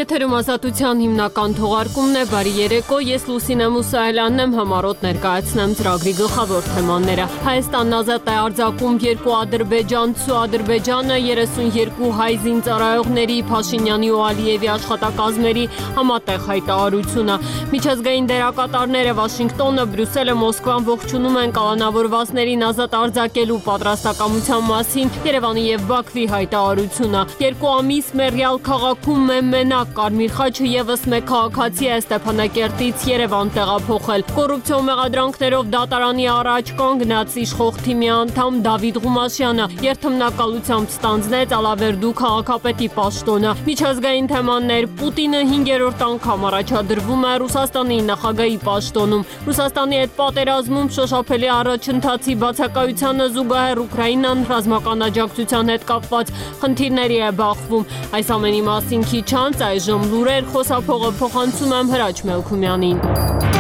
Եթերում ազատության հիմնական թողարկումն է, բարի երեկո, ես Լուսինե Մուսայելյանն եմ, համառոտ ներկայացնեմ ծրագրի գլխավոր թեմաները։ Հայաստանն ազատ է արձակում երկու ադրբեջանցու, Ադրբեջանը 32 հայ զինծառայողների, Փաշինյանի ու Ալիևի աշխատակազմերի համատեղ հայտարարությունը։ Միջազգային դերակատարները Վաշինգտոնը, Բրյուսելը, Մոսկվան ողջունում են կալանավորվածներին ազատ արձակելու պատրաստակամության մասին Երևանի և Բաքվի հայտարարությունը։ Երկու ամիս Մեռյալ քաղաքում մենակ Կարմիր խաչը ևս մեկ քաղաքացի է Ստեփանակերտից Երևան տեղափոխել։ Կոռուպցիոն մեղադրանքներով դատարանի առաջ կանգնած իշխող թիմի անդամ Դավիթ Ղումաշյանը երթմնակալությամբ ստանձնեց Ալավերդու քաղաքապետի պաշտոնը։ Միջազգային թեմաներ՝ Պուտինը 5-րդ անգամ առաջադրվում է Ռուսաստանի նախագահի պաշտոնում։ Ռուսաստանի հետ պատերազմում շոշափելի առաջընթացի բացակայությանը զուգահեռ Ուկրաինան ռազմական աջակցության հետ կապված խնդիրների է բախվում։ Այս ամենի մասին քիչ անց այժմ լուրեր, խոսափողը փոխանցում եմ Հրաչ Մելքումյանին։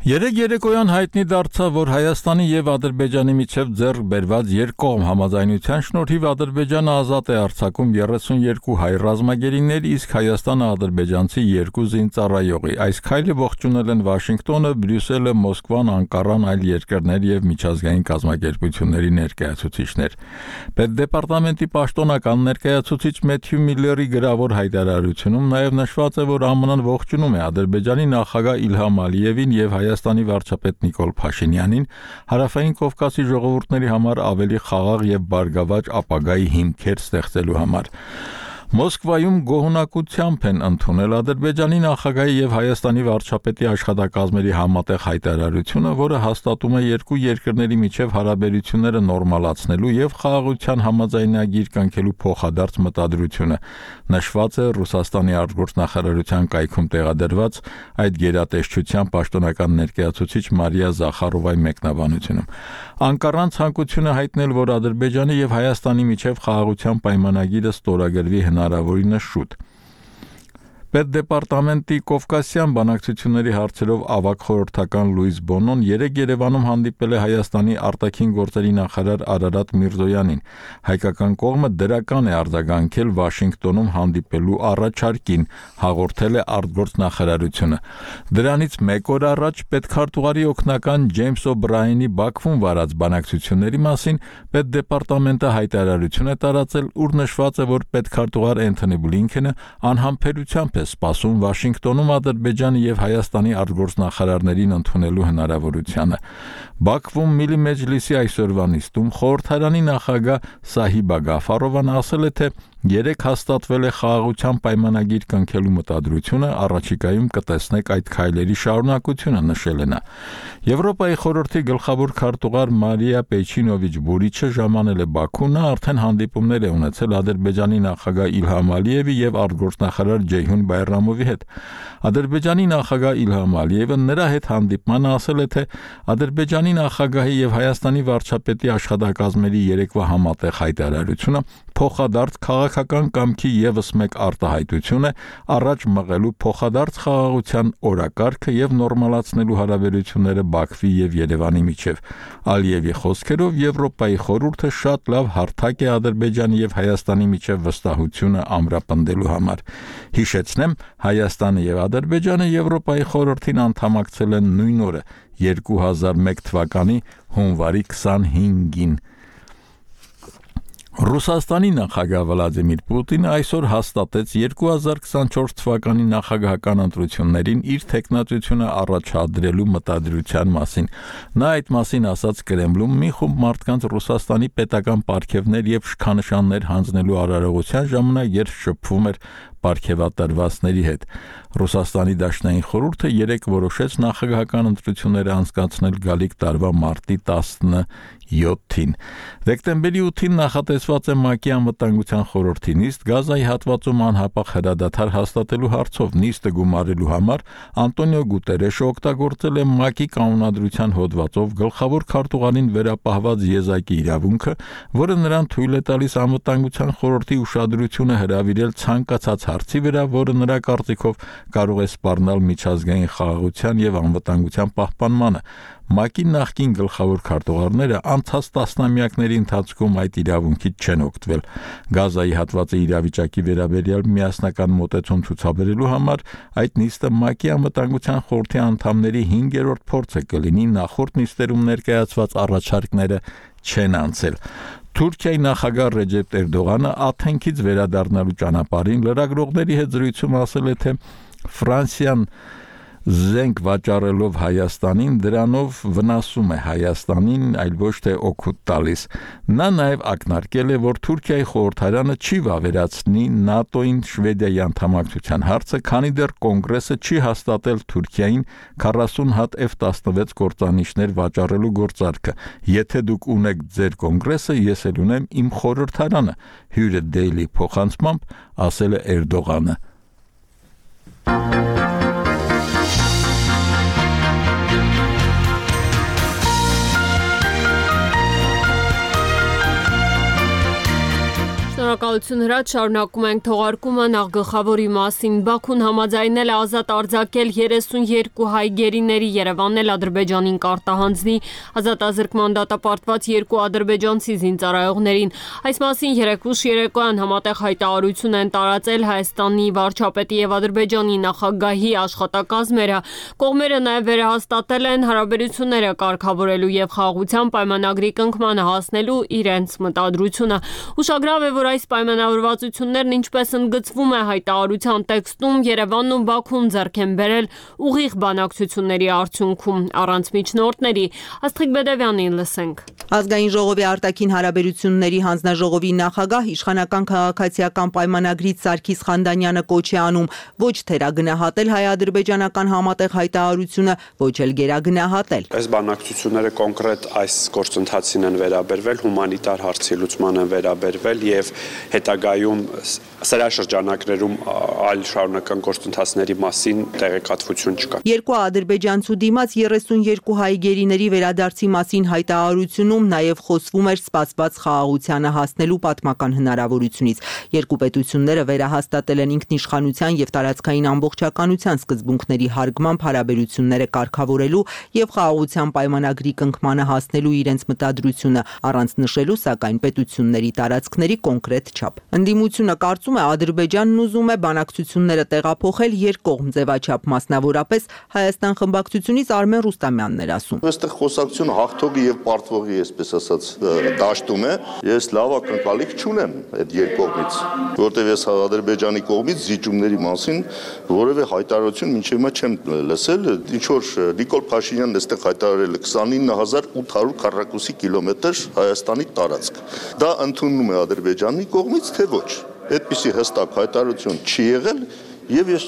Երեկ երեկոյան հայտնի դարձավ, որ Հայաստանի և Ադրբեջանի միջև ձեռք բերված երկկողմ համաձայնության շնորհիվ Ադրբեջանը ազատ է արձակում 32 հայ ռազմագերիներ, իսկ Հայաստանը ադրբեջանցի 2 զինծառայողի։ Այս քայլը ողջունել են Վաշինգտոնը, Բրյուսելը, Մոսկվան, Անկարան, այլ երկրներ և միջազգային կազմակերպությունների ներկայացուցիչներ։ Պետդեպարտամենտի պաշտոնական ներկայացուցիչ Մեթյու Միլլերի գրավոր հայտարարությունում նաև նշված է, որ ԱՄՆ-ն ողջունում է Ադրբեջանի նախագահ Իլհամ Ալիևին և Հայաստանի վարչապետ Նիկոլ Փաշինյանին Հարավային Կովկասի ժողովուրդների համար ավելի խաղաղ և բարգավաճ ապագայի հիմքեր ստեղծելու համար։ Մոսկվայում գոհունակությամբ են ընդունել Ադրբեջանի նախագահի և Հայաստանի վարչապետի աշխատակազմերի համատեղ հայտարարությունը, որը հաստատում է երկու երկրների միջև հարաբերությունները նորմալացնելու և խաղաղության համաձայնագիր կնքելու փոխադարձ մտադրությունը։ Նշված է Ռուսաստանի արտգործնախարարության կայքում տեղադրված այդ գերատեսչության պաշտոնական ներկայացուցիչ Մարիա Զախարովայի մեկնաբանությունում։ Անկարան ցանկություն է հայտնել, որ Ադրբեջանի և Հայաստանի միջև խաղաղության պայմանագիրը ստորագրվի հնարավորինս շուտ։ Պետդեպարտամենտի Կովկասյան բանակցությունների հարցերով ավագ խորհրդական Լուիս Բոնոն երեկ Երևանում հանդիպել է Հայաստանի արտաքին գործերի նախարար Արարատ Միրզոյանին։ Հայկական կողմը դրական է արձագանքել Վաշինգտոնում հանդիպելու առաջարկին, հաղորդել է արտգործնախարարությունը։ Դրանից մեկ օր առաջ պետքարտուղարի օգնական Ջեյմս Օ'Բրայենի Բաքվում վարած բանակցությունների մասին Պետդեպարտամենտը հայտարարություն է տարածել, ուր նշված է, որ պետքարտուղար Էնթոնի Բլինքենը անհամբերությամբ սպասում Վաշինգտոնում Ադրբեջանի և Հայաստանի արտգործնախարարներին ընդունելու հնարավորությանը։ Բաքվում Միլի Մեջլիսի այսօրվա նիստում խորհրդարանի նախագահ Սահիբա Գաֆարովան ասել է, թե երեկ հաստատվել է խաղաղության պայմանագիր կնքելու մտադրությունը, առաջիկայում կտեսնեք այդ քայլերի շարունակությունը, նշել է նա։ Եվրոպայի խորհրդի գլխավոր քարտուղար Մարիա Պեչինովիչ Բուրիչը ժամանել է Բաքու, նա արդեն հանդիպումներ է ունեցել Ադրբեջանի նախագահ Իլհամ Ալիևի և արտգործնախարար Ջեյհուն Բայրամովի հետ։ Ադրբեջանի նախագահ Իլհամ Ալիևը նրա հետ հանդիպմանը ասել է, թե Ադրբեջանի նախագահի և Հայաստանի վարչապետի աշխատակազմերի երեկվա համատեղ հայտարարությունը փոխադարձ քաղաքական կամքի ևս մեկ արտահայտություն է առաջ մղելու փոխադարձ խաղաղության օրակարգը և նորմալացնելու հարաբերությունները Բաքվի և Երևանի միջև։ Ալիևի խոսքերով Եվրոպայի խորհուրդը շատ լավ հարթակ է Ադրբեջանի և Հայաստանի միջև վստահությունը ամրապնդելու համար։ Հիշեցնեմ, Հայաստանը և Ադրբեջանը Եվրոպայի խորհրդին անդամակցել են նույն օրը 2001 թվականի հունվարի 25-ին։ Ռուսաստանի նախագահ Վլադիմիր Պուտինը այսօր հաստատեց 2024 թվականի նախագահական ընտրություններին իր թեկնածությունը առաջադրելու մտադրության մասին։ Նա այդ մասին ասաց Կրեմլում մի խումբ մարդկանց Ռուսաստանի պետական պարգևներ և շքանշաններ հանձնելու արարողության ժամանակ, երբ շփվում էր պարգևատրվածների հետ։ Ռուսաստանի Դաշնային խորհուրդը երեկ որոշեց նախագահական ընտրությունները անցկացնել գալիք տարվա մարտի 17-ին։ Դեկտեմբերի 8-ին նախատեսված է ՄԱԿ-ի անվտանգության խորհրդի նիստ Գազայի հատվածում անհապաղ հրադադար հաստատելու հարցով։ Նիստը գումարելու համար Անտոնիո Գուտերեշը օգտագործել է ՄԱԿ-ի կանոնադրության հոդվածով գլխավոր քարտուղարին վերապահված եզակի իրավունքը, որը նրան թույլ է տալիս անվտանգության խորհրդի ուշադրությունը հրավիրել ցանկացած հարցի վրա, որը նրա կարծիքով կարող է սպառնալ միջազգային խաղաղության և անվտանգության պահպանմանը։ ՄԱԿ-ի նախկին գլխավոր քարտուղարները անցած տասնամյակների ընթացքում այդ իրավունքից չեն օգտվել։ Գազայի հատվածի իրավիճակի վերաբերյալ միասնական մոտեցում ցուցաբերելու համար այդ նիստը ՄԱԿ-ի անվտանգության խորհրդի անդամների 5-րդ փորձը կլինի, նախորդ նիստերում ներկայացված առաջարկները չեն անցել։ Թուրքիայի նախագահ Ռեջեփ Էրդողանը Աթենքից վերադառնալու ճանապարհին լրագրողների հետ զրույցում ասել է, թե Ֆրանսիան զենք վաճառելով Հայաստանին դրանով վնասում է Հայաստանին, այլ ոչ թե օգուտ տալիս։ Նա նաև ակնարկել է, որ Թուրքիայի խորհրդարանը չի վավերացնի ՆԱՏՕ-ին Շվեդիայի անդամակցության հարցը, քանի դեռ կոնգրեսը չի հաստատել Թուրքիային 40 հատ F-16 կործանիչներ վաճառելու գործարքը։ Եթե դուք ունեք ձեր կոնգրեսը, ես էլ ունեմ իմ խորհրդարանը, հյուրը Daily փոխանցմամբ ասել է Էրդողանը։ Շնորհակալություն Հրաչ, շարունակում ենք թողարկումը նախ գլխավորի մասին։ Բաքուն համաձայնել է ազատ արձակել 32 հայ գերիների, Երևանն էլ Ադրբեջանին կարտահանձնի ազատազրկման դատապարտված 2 ադրբեջանցի զինծառայողներին։ Այս մասին երեկուշ երեկոյան համատեղ հայտարարություն են տարածել Հայաստանի վարչապետի եւ Ադրբեջանի նախագահի աշխատակազմերը։ Կողմերը նաև վերահաստատել են հարաբերությունները կարգավորելու եւ խաղաղության պայմանագրի կնքմանը հասնելու իրենց մտադրությունը։ Ուշագրավ է, որ այս պայմանավորվածություններն, ինչպես ընդգծվում է հայտարարության տեքստում, Երևանն ու Բաքուն ձեռք են բերել ուղիղ բանակցությունների արդյունքում, առանց միջնորդների։ Աստղիկ Բեդևյանին լսենք։ Ազգային ժողովի արտաքին հարաբերությունների հանձնաժողովի նախագահ իշխանական քաղաքացիական պայմանագրից Սարգիս Խանդանյանը կոչ է անում ոչ թերագնահատել հայ-ադրբեջանական համատեղ հայտարարությունը, ոչ էլ գերագնահատել։ Այս բանակցությունները կոնկրետ այս գործընթացին են վերաբերվել, հումանիտար հարցի լուծման են վերաբերվել եւ հետագայում սրաշրջանակներում այլ շարունակական գործընթացների մասին տեղեկատվություն չկա։ Երկու ադրբեջանցու դիմաց 32 հայ գերիների վերադարձի մասին հայտարարությունում նաև խոսվում էր սպասված խաղաղությանը հասնելու պատմական հնարավորությունից։ Երկու պետությունները վերահաստատել են ինքնիշխանության եւ տարածքային ամբողջականության սկզբունքների հարգմամբ հարաբերությունները կարգավորելու եւ խաղաղության պայմանագրի կնքմանը հասնելու իրենց մտադրությունը, առանց նշելու սակայն պետությունների տարածքների կոնկրետ չափ։ Ընդդիմությունը կարծում է Ադրբեջանն ուզում է բանակցությունները տեղափոխել երկկողմ ձևաչափ, մասնավորապես Հայաստան խմբակցությունից Արմեն Ռուստամյանն էր ասում։ Այստեղ խոսակցությունը հաղթողի եւ պարտվողի, այսպես ասած, դաշտում է։ Ես լավ ակնկալիք չունեմ այդ երկկողմից, որտեղ ես Ադրբեջանի կողմից զիջումների մասին որևէ հայտարարություն մինչև հիմա չեմ լսել։ Ինչ որ Նիկոլ Փաշինյանն այստեղ հայտարարել է 29800 քառակուսի կիլոմետր Հայաստանի տարածք։ Դա ընդունում է Ադրբեջանի կողմից, թե ոչ։ Այդպիսի հստակ հայտարարություն չի եղել եւ ես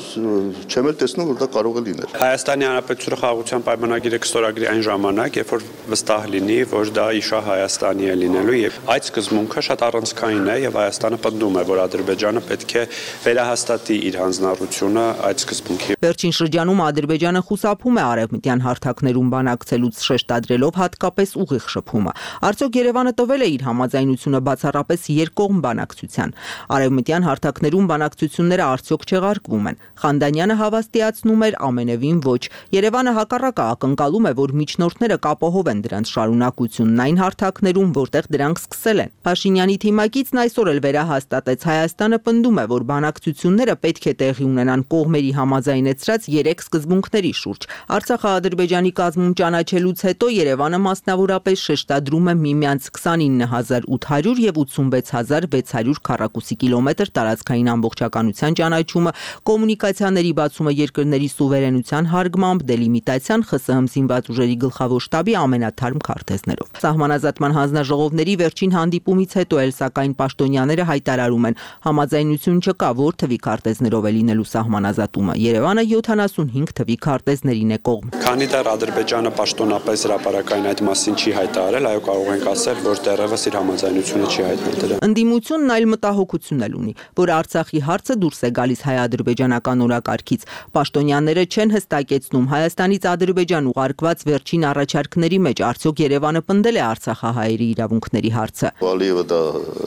չեմ էլ տեսնում, որ դա կարող է լինել։ Հայաստանի Հանրապետությունը խաղաղության պայմանագիրը կստորագրի այն ժամանակ, երբ որ վստահ լինի, որ դա իշա Հայաստանի է լինելու եւ այդ սկզբունքը շատ առանցքային է եւ Հայաստանը պնդում է, որ Ադրբեջանը պետք է վերահաստատի իր հանձնառությունը այդ սկզբունքի։ Վերջին շրջանում Ադրբեջանը խուսափում է արևմտյան հարթակներում բանակցելուց, շեշտադրելով հատկապես ուղիղ շփումը։ Արդյոք Երևանը տվել է իր համաձայնությունը բացառապես երկկողմ բանակցության։ Արևմտյան հարթակներում բանակցությունները արդյոք չեղարկվում են։ Խանդանյանը հավաստիացնում էր ամենևին ոչ։ Երևանը հակառակը ակնկալում է, որ միջնորդները կապահովեն դրանց շարունակությունն այն հարթակներում, որտեղ դրանք սկսել են։ Փաշինյանի թիմակիցն այսօր էլ վերահաստատեց Հայաստանը պնդում է, որ բանակցությունները պետք է տեղի ունենան կողմերի համաձայնեցրած 3 սկզբունքների շուրջ։ Արցախը Ադրբեջանի կազմում ճանաչելուց հետո Երևանը մասնավորապես շեշտադրում է միմյանց 29800 եւ 86600 քառակուսի կիլոմետր տարածքային ամբողջականության ճանաչումը, կոմունիկացիաների բացումը երկրների սուվերենության հարգմամբ, դելիմիտացիան ԽՍՀՄ զինված ուժերի գլխավոր շտաբի ամենաթարմ քարտեզներով։ Սահմանազատման հանձնաժողովների վերջին հանդիպումից հետո էլ սակայն պաշտոնյաները հայտարարում են, համաձայնություն չկա, որ թվի քարտեզներով է լինելու սահմանազատումը։ Երևանը 75 թվի քարտեզներին է կողմ։ Քանի դեռ Ադրբեջանը պաշտոնապես հրապարակային այդ մասին չի հայտարարել, այո, կարող ենք ասել, որ դեռևս իր համաձայնությունը չի հայտնել դրան։ Ընդդիմությունն այլ մտահոգություն էլ ունի, որ Արցախի հարցը դուրս է գալիս հայ-ադրբեջանական ադրբեջանական օրակարգից։ Պաշտոնյաները չեն հստակեցնում Հայաստանից Ադրբեջան ուղարկված վերջին առաջարկների մեջ արդյոք Երևանը պնդել է արցախահայերի իրավունքների հարցը։ Ալիևը դա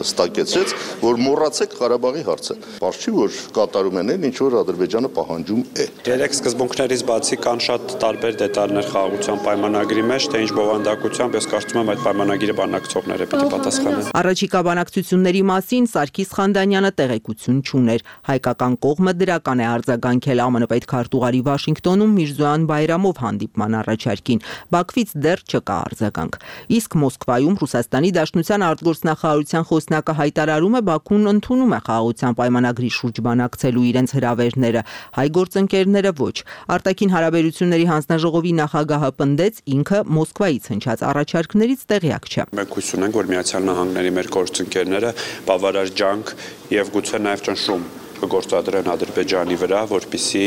հստակեցրեց, որ մոռացեք Ղարաբաղի հարցը։ Պարզ չի, որ կատարում են ինչ որ Ադրբեջանը պահանջում է։ Երեք սկզբունքներից բացի կան շատ տարբեր դետալներ խաղաղության պայմանագրի մեջ, թե ինչ բովանդակությամբ ես կարծում եմ այդ պայմանագիրը բանակցողները պիտի պատասխանեն։ Առաջիկա բանակցությունների մասին Սարգիս Խանդանյանը տեղեկություն չուներ։ Հայկական կողմը դրական է արձագանքել ԱՄՆ պետքարտուղարի Վաշինգտոնում Միրզոյան Բայրամով հանդիպման առաջարկին։ Բաքվից դեռ չկա արձագանք։ Իսկ Մոսկվայում Ռուսաստանի Դաշնության արտգործնախարարության խոսնակը հայտարարում է Բաքուն ընդունում է խաղաղության պայմանագրի շուրջ բանակցելու իրենց հրավերները, հայ գործընկերները ոչ։ Արտաքին հարաբերությունների հանձնաժողովի նախագահը պնդեց ինքը Մոսկվայից հնչած առաջարկներից տեղյակ չէ։ Մենք հույս ունենք, որ Միացյալ Նահանգների մեր գործընկերները բավարար ջանք եւ գուցե նաեւ ճնշում կգործադրեն Ադրբեջանի վրա, որպեսզի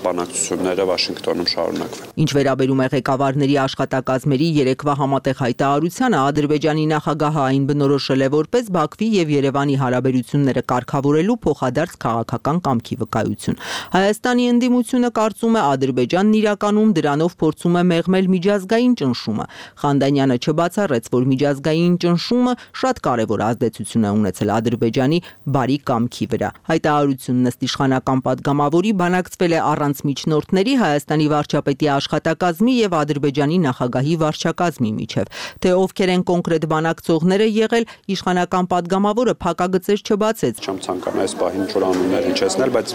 բանակցությունները Վաշինգտոնում շարունակվեն։ Ինչ վերաբերում է ղեկավարների աշխատակազմերի երեկվա համատեղ հայտարարությանը, Ադրբեջանի նախագահը այն բնորոշել է որպես Բաքվի եւ Երևանի հարաբերությունները կարգավորելու փոխադարձ քաղաքական կամքի վկայություն։ Հայաստանի ընդդիմությունը կարծում է Ադրբեջանն իրականում դրանով փորձում է մեղմել միջազգային ճնշումը։ Խանդանյանը չբացառեց, որ միջազգային ճնշումը շատ կարևոր ազդեցություն է ունեցել Ադրբեջանի բարի կամքի վրա։ Հայտարարությունն ըստ իշխանական պատգամավորի բանակցվել է առանց միջնորդների Հայաստանի վարչապետի աշխատակազմի եւ Ադրբեջանի նախագահի վարչակազմի միջև։ Թե ովքեր են կոնկրետ բանակցողները եղել, իշխանական պատգամավորը փակագծեր չբացեց։ Չեմ ցանկանում այս պահին ինչ-որ անուններ հնչեցնել, բայց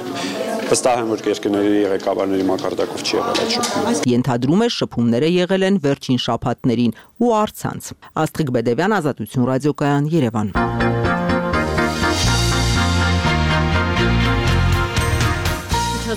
վստահ եմ, որ երկրների ղեկավարների մակարդակով չի եղել այդ շփումը։ Ենթադրում է շփումները եղել են վերջին շաբաթներին ու առցանց։ Աստղիկ Բեդևյան, Ազատություն ռադիոկայան, Երևան։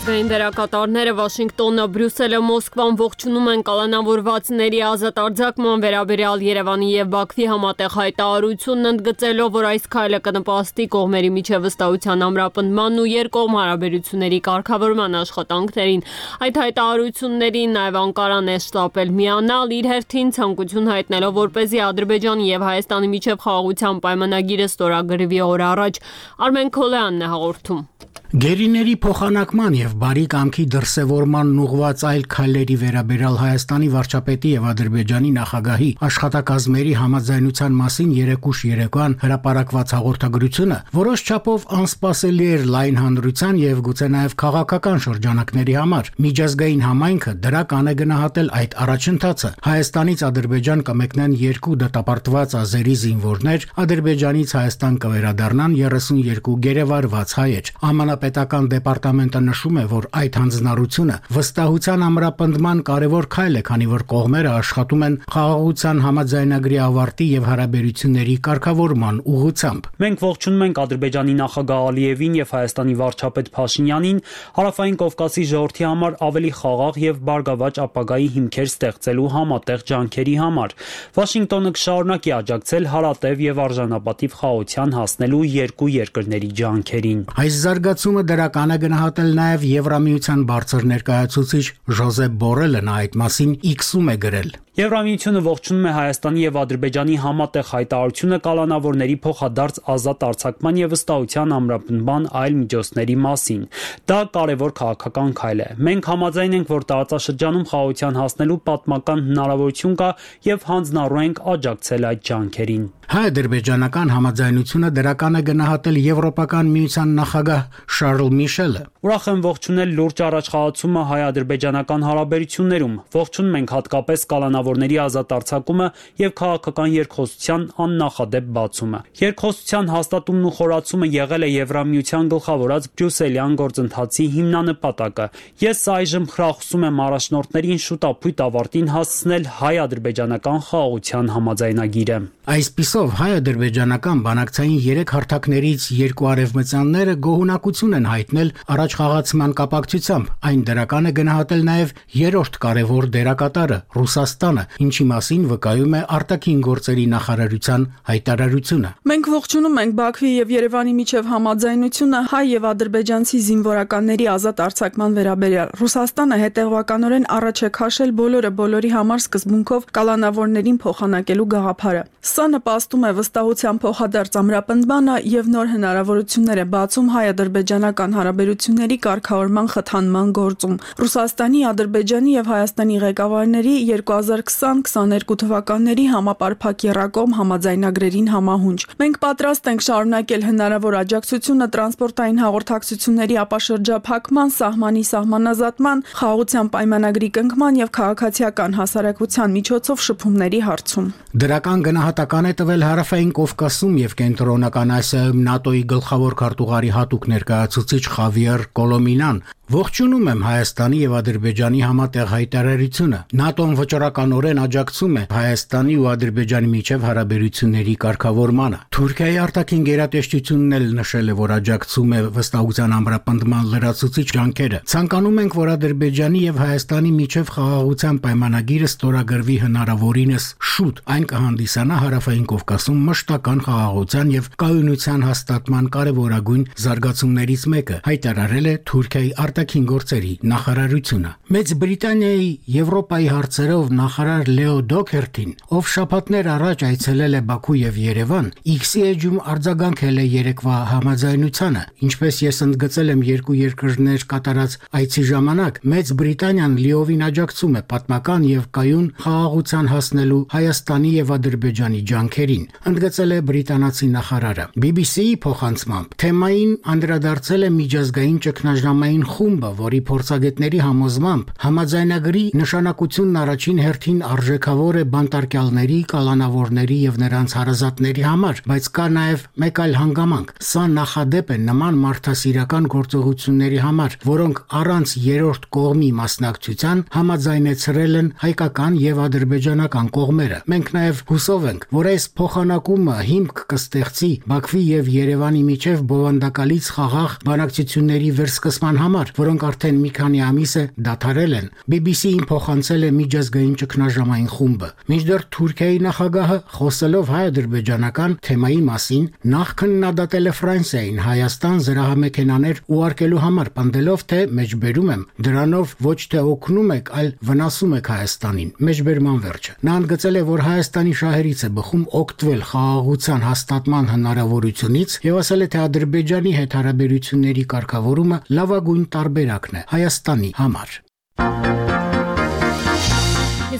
Միջազգային դերակատարները Վաշինգտոնը, Բրյուսելը, Մոսկվան ողջունում են կալանավորվածների ազատ արձակման վերաբերյալ Երևանի եւ Բաքվի համատեղ հայտարարությունն, ընդգծելով, որ այս քայլը կնպաստի կողմերի միջև վստահության ամրապնդման ու երկկողմ հարաբերությունների կարգավորման աշխատանքներին։ Այդ հայտարարություններին նաեւ Անկարան է շտապել միանալ, իր հերթին ցանկություն հայտնելով, որպեսզի Ադրբեջանի եւ Հայաստանի միջև խաղաղության պայմանագիրը ստորագրվի օր առաջ։ Արմեն Քոլյանն է հաղորդում։ Գերիների փոխանակման եւ բարի կամքի դրսեւորման ուղղված այլ քայլերի վերաբերյալ Հայաստանի վարչապետի եւ Ադրբեջանի նախագահի աշխատակազմերի համաձայնության մասին երեկուշ երեկոյան հրապարակված հաղորդագրությունը որոշ չափով անսպասելի էր լայն հանրության եւ գուցե նաեւ քաղաքական շրջանակների համար։ Միջազգային համայնքը դրական է գնահատել այդ առաջընթացը։ Հայաստանից Ադրբեջան կմեկնեն 2 դատապարտված ազերի զինվորներ, Ադրբեջանից Հայաստան կվերադառնան 32 գերեվարված հայեր։ Պետական դեպարտամենտը նշում է, որ այդ հանձնառությունը վստահության ամրապնդման կարևոր քայլ է, քանի որ կողմերը աշխատում են խաղաղության համաձայնագրի ավարտի եւ հարաբերությունների կարգավորման ուղղությամբ։ Մենք ողջունում ենք Ադրբեջանի նախագահ Ալիևին եւ Հայաստանի վարչապետ Փաշինյանին Հարավային Կովկասի ժողովրդի համար ավելի խաղաղ եւ բարգավաճ ապագայի հիմքեր ստեղծելու համատեղ ջանքերի համար։ Վաշինգտոնը կշարունակի աջակցել հարատև եւ արժանապատիվ խաղաղության հասնելու երկու երկրների ջանքերին։ Այս զարգացումը դրական է գնահատել նաև Եվրամիության բարձր ներկայացուցիչ Ժոզեփ Բորելը, նա այդ մասին X-ում է գրել։ Եվրամիությունը ողջունում է Հայաստանի եւ Ադրբեջանի համատեղ հայտարարությունը կալանավորների փոխադարձ ազատ արձակման եւ վստահության ամրապնդման այլ միջոցների մասին։ Դա կարևոր քաղաքական քայլ է։ Մենք համաձայն ենք, որ տարածաշրջանում խաղաղության հասնելու պատմական հնարավորություն կա եւ հանձնառու ենք աջակցել այդ ջանքերին։ Հայ-ադրբեջանական համաձայնությունը դրական է գնահատել Եվրոպական միության նախագահ Շարլ Միշելը։ Ուրախ եմ ողջունել լուրջ առաջխաղացումը հայ-ադրբեջանական հարաբերություններում։ Ողջունում ենք հատկապես կալանավորների ազատ արձակումը եւ քաղաքական երկխոսության աննախադեպ բացումը։ Երկխոսության հաստատումն ու խորացումը եղել է Եվրամիության գլխավորած բրյուսելյան գործընթացի հիմնանպատակը։ Ես այժմ խրախուսում եմ առաջնորդներին շուտապույտ ավարտին հասցնել հայ-ադրբեջանական խաղաղության համաձայնագիրը։ Այսպիսով հայ-ադրբեջանական բանակցային 3 հարթակներից 2 արևմտյանները գոհունակություն են հայտնել առաջխաղացման կապակցությամբ։ Այն դրական է գնահատել նաև երրորդ կարևոր դերակատարը Ռուսաստանը, ինչի մասին վկայում է արտաքին գործերի նախարարության հայտարարությունը։ Մենք ողջունում ենք Բաքվի եւ Երևանի միջև համաձայնությունը հայ եւ ադրբեջանցի զինվորականների ազատ արձակման վերաբերյալ։ Ռուսաստանը հետևականորեն առաջ է քաշել բոլորի համար սկզբունքով կալանավորներին փոխանակելու գաղափարը։ Սա նպաստում է վստահության փոխադարձ ամրապնդմանը եւ նոր հնարավորություններ է բացում հայ-ադրբեջանական հարաբերությունների կարգավորման խթանման գործում։ Ռուսաստանի, Ադրբեջանի եւ Հայաստանի ղեկավարների 2020-22 թվականների համապարփակ եռակողմ համաձայնագրերին համահունչ։ Մենք պատրաստ ենք շարունակել հնարավոր աջակցությունը տրանսպորտային հաղորդակցությունների ապաշրջափակման, սահմանի սահմանազատման, խաղաղության պայմանագրի կնքման եւ քաղաքացիական հասարակության միջոցով շփումների հարցում։ Դրական գնահատական է տվել Հարավային Կովկասում եւ Կենտրոնական Ասիայում ՆԱՏՕ-ի գլխավոր քարտուղարի հատուկ ներկայացուցիչ Խավիեր Կոլոմինան։ Ողջունում եմ Հայաստանի եւ Ադրբեջանի համատեղ հայտարարությունը։ ՆԱՏՕ-ն վճռականորեն աջակցում է Հայաստանի ու Ադրբեջանի միջև հարաբերությունների կարգավորմանը։ Թուրքիայի արտաքին գերատեսչությունն էլ նշել է, որ աջակցում է վստահության ամրապնդման լրացուցիչ ջանքերը։ Ցանկանում ենք, որ Ադրբեջանի եւ Հայաստանի միջև խաղաղության պայմանագիրը ստորագրվի հնարավորինս շուտ։ Այն կհանդիսանա Հարավային Կովկասում մշտական խաղաղության եւ կայունության հաստատման կարևորագույն զարգացումներից մեկը, հայտարարել է Թուրքիայի արտաքին գործերի նախարարությունը։ Մեծ Բրիտանիայի Եվրոպայի հարցերով նախարար Լեո Դոքերթին, ով շաբաթներ առաջ այցելել է Բաքու եւ Երևան, X-ի էջում արձագանքել է երեկվա համաձայնությանը։ Ինչպես ես ընդգծել եմ երկու երկրներ կատարած այցի ժամանակ, Մեծ Բրիտանիան լիովին աջակցում է պատմական եւ կայուն խաղաղության հասնելու Հայաստանի եւ Ադրբեջանի ջանքերին, ընդգծել է բրիտանացի նախարարը։ BBC-ի փոխանցմամբ թեմային անդրադարձել է միջազգային ճգնաժամային խումբը, որի փորձագետների համոզմամբ համաձայնագրի նշանակությունն առաջին հերթին արժեքավոր է բանտարկյալների, կալանավորների եւ նրանց հարազատների համար, բայց կա նաեւ մեկ այլ հանգամանք։ Սա նախադեպ է նման մարդասիրական գործողությունների համար, որոնք առանց երրորդ կողմի մասնակցության համաձայնեցրել են հայկական եւ ադրբեջանական կողմերը։ Մենք նաեւ հուսով ենք, որ այս փոխանակումը հիմք կստեղծի Բաքվի եւ Երևանի միջև բովանդակալից խաղաղ բանակցությունների վերսկսման համար, որոնք արդեն մի քանի ամիս է դադարել են։ BBC-ին փոխանցել է միջազգային ճգնաժամային խումբը։ Մինչդեռ Թուրքիայի նախագահը խոսելով հայ-ադրբեջանական թեմայի մասին նախ քննադատել է Ֆրանսիային Հայաստան զրահամեքենաներ ուղարկելու համար, պնդելով, թե մեջբերում եմ, դրանով ոչ թե օգնում եք, այլ վնասում եք Հայաստանին։ Մեջբերման վերջը։ Նա ընդգծել է, որ Հայաստանի շահերից է բխում օգտվել խաղաղության հաստատման հնարավորությունից եւ ասել է, թե Ադրբեջանի հետ հարաբերությունների կարգավորումը լավագույն տարբերակն է Հայաստանի համար։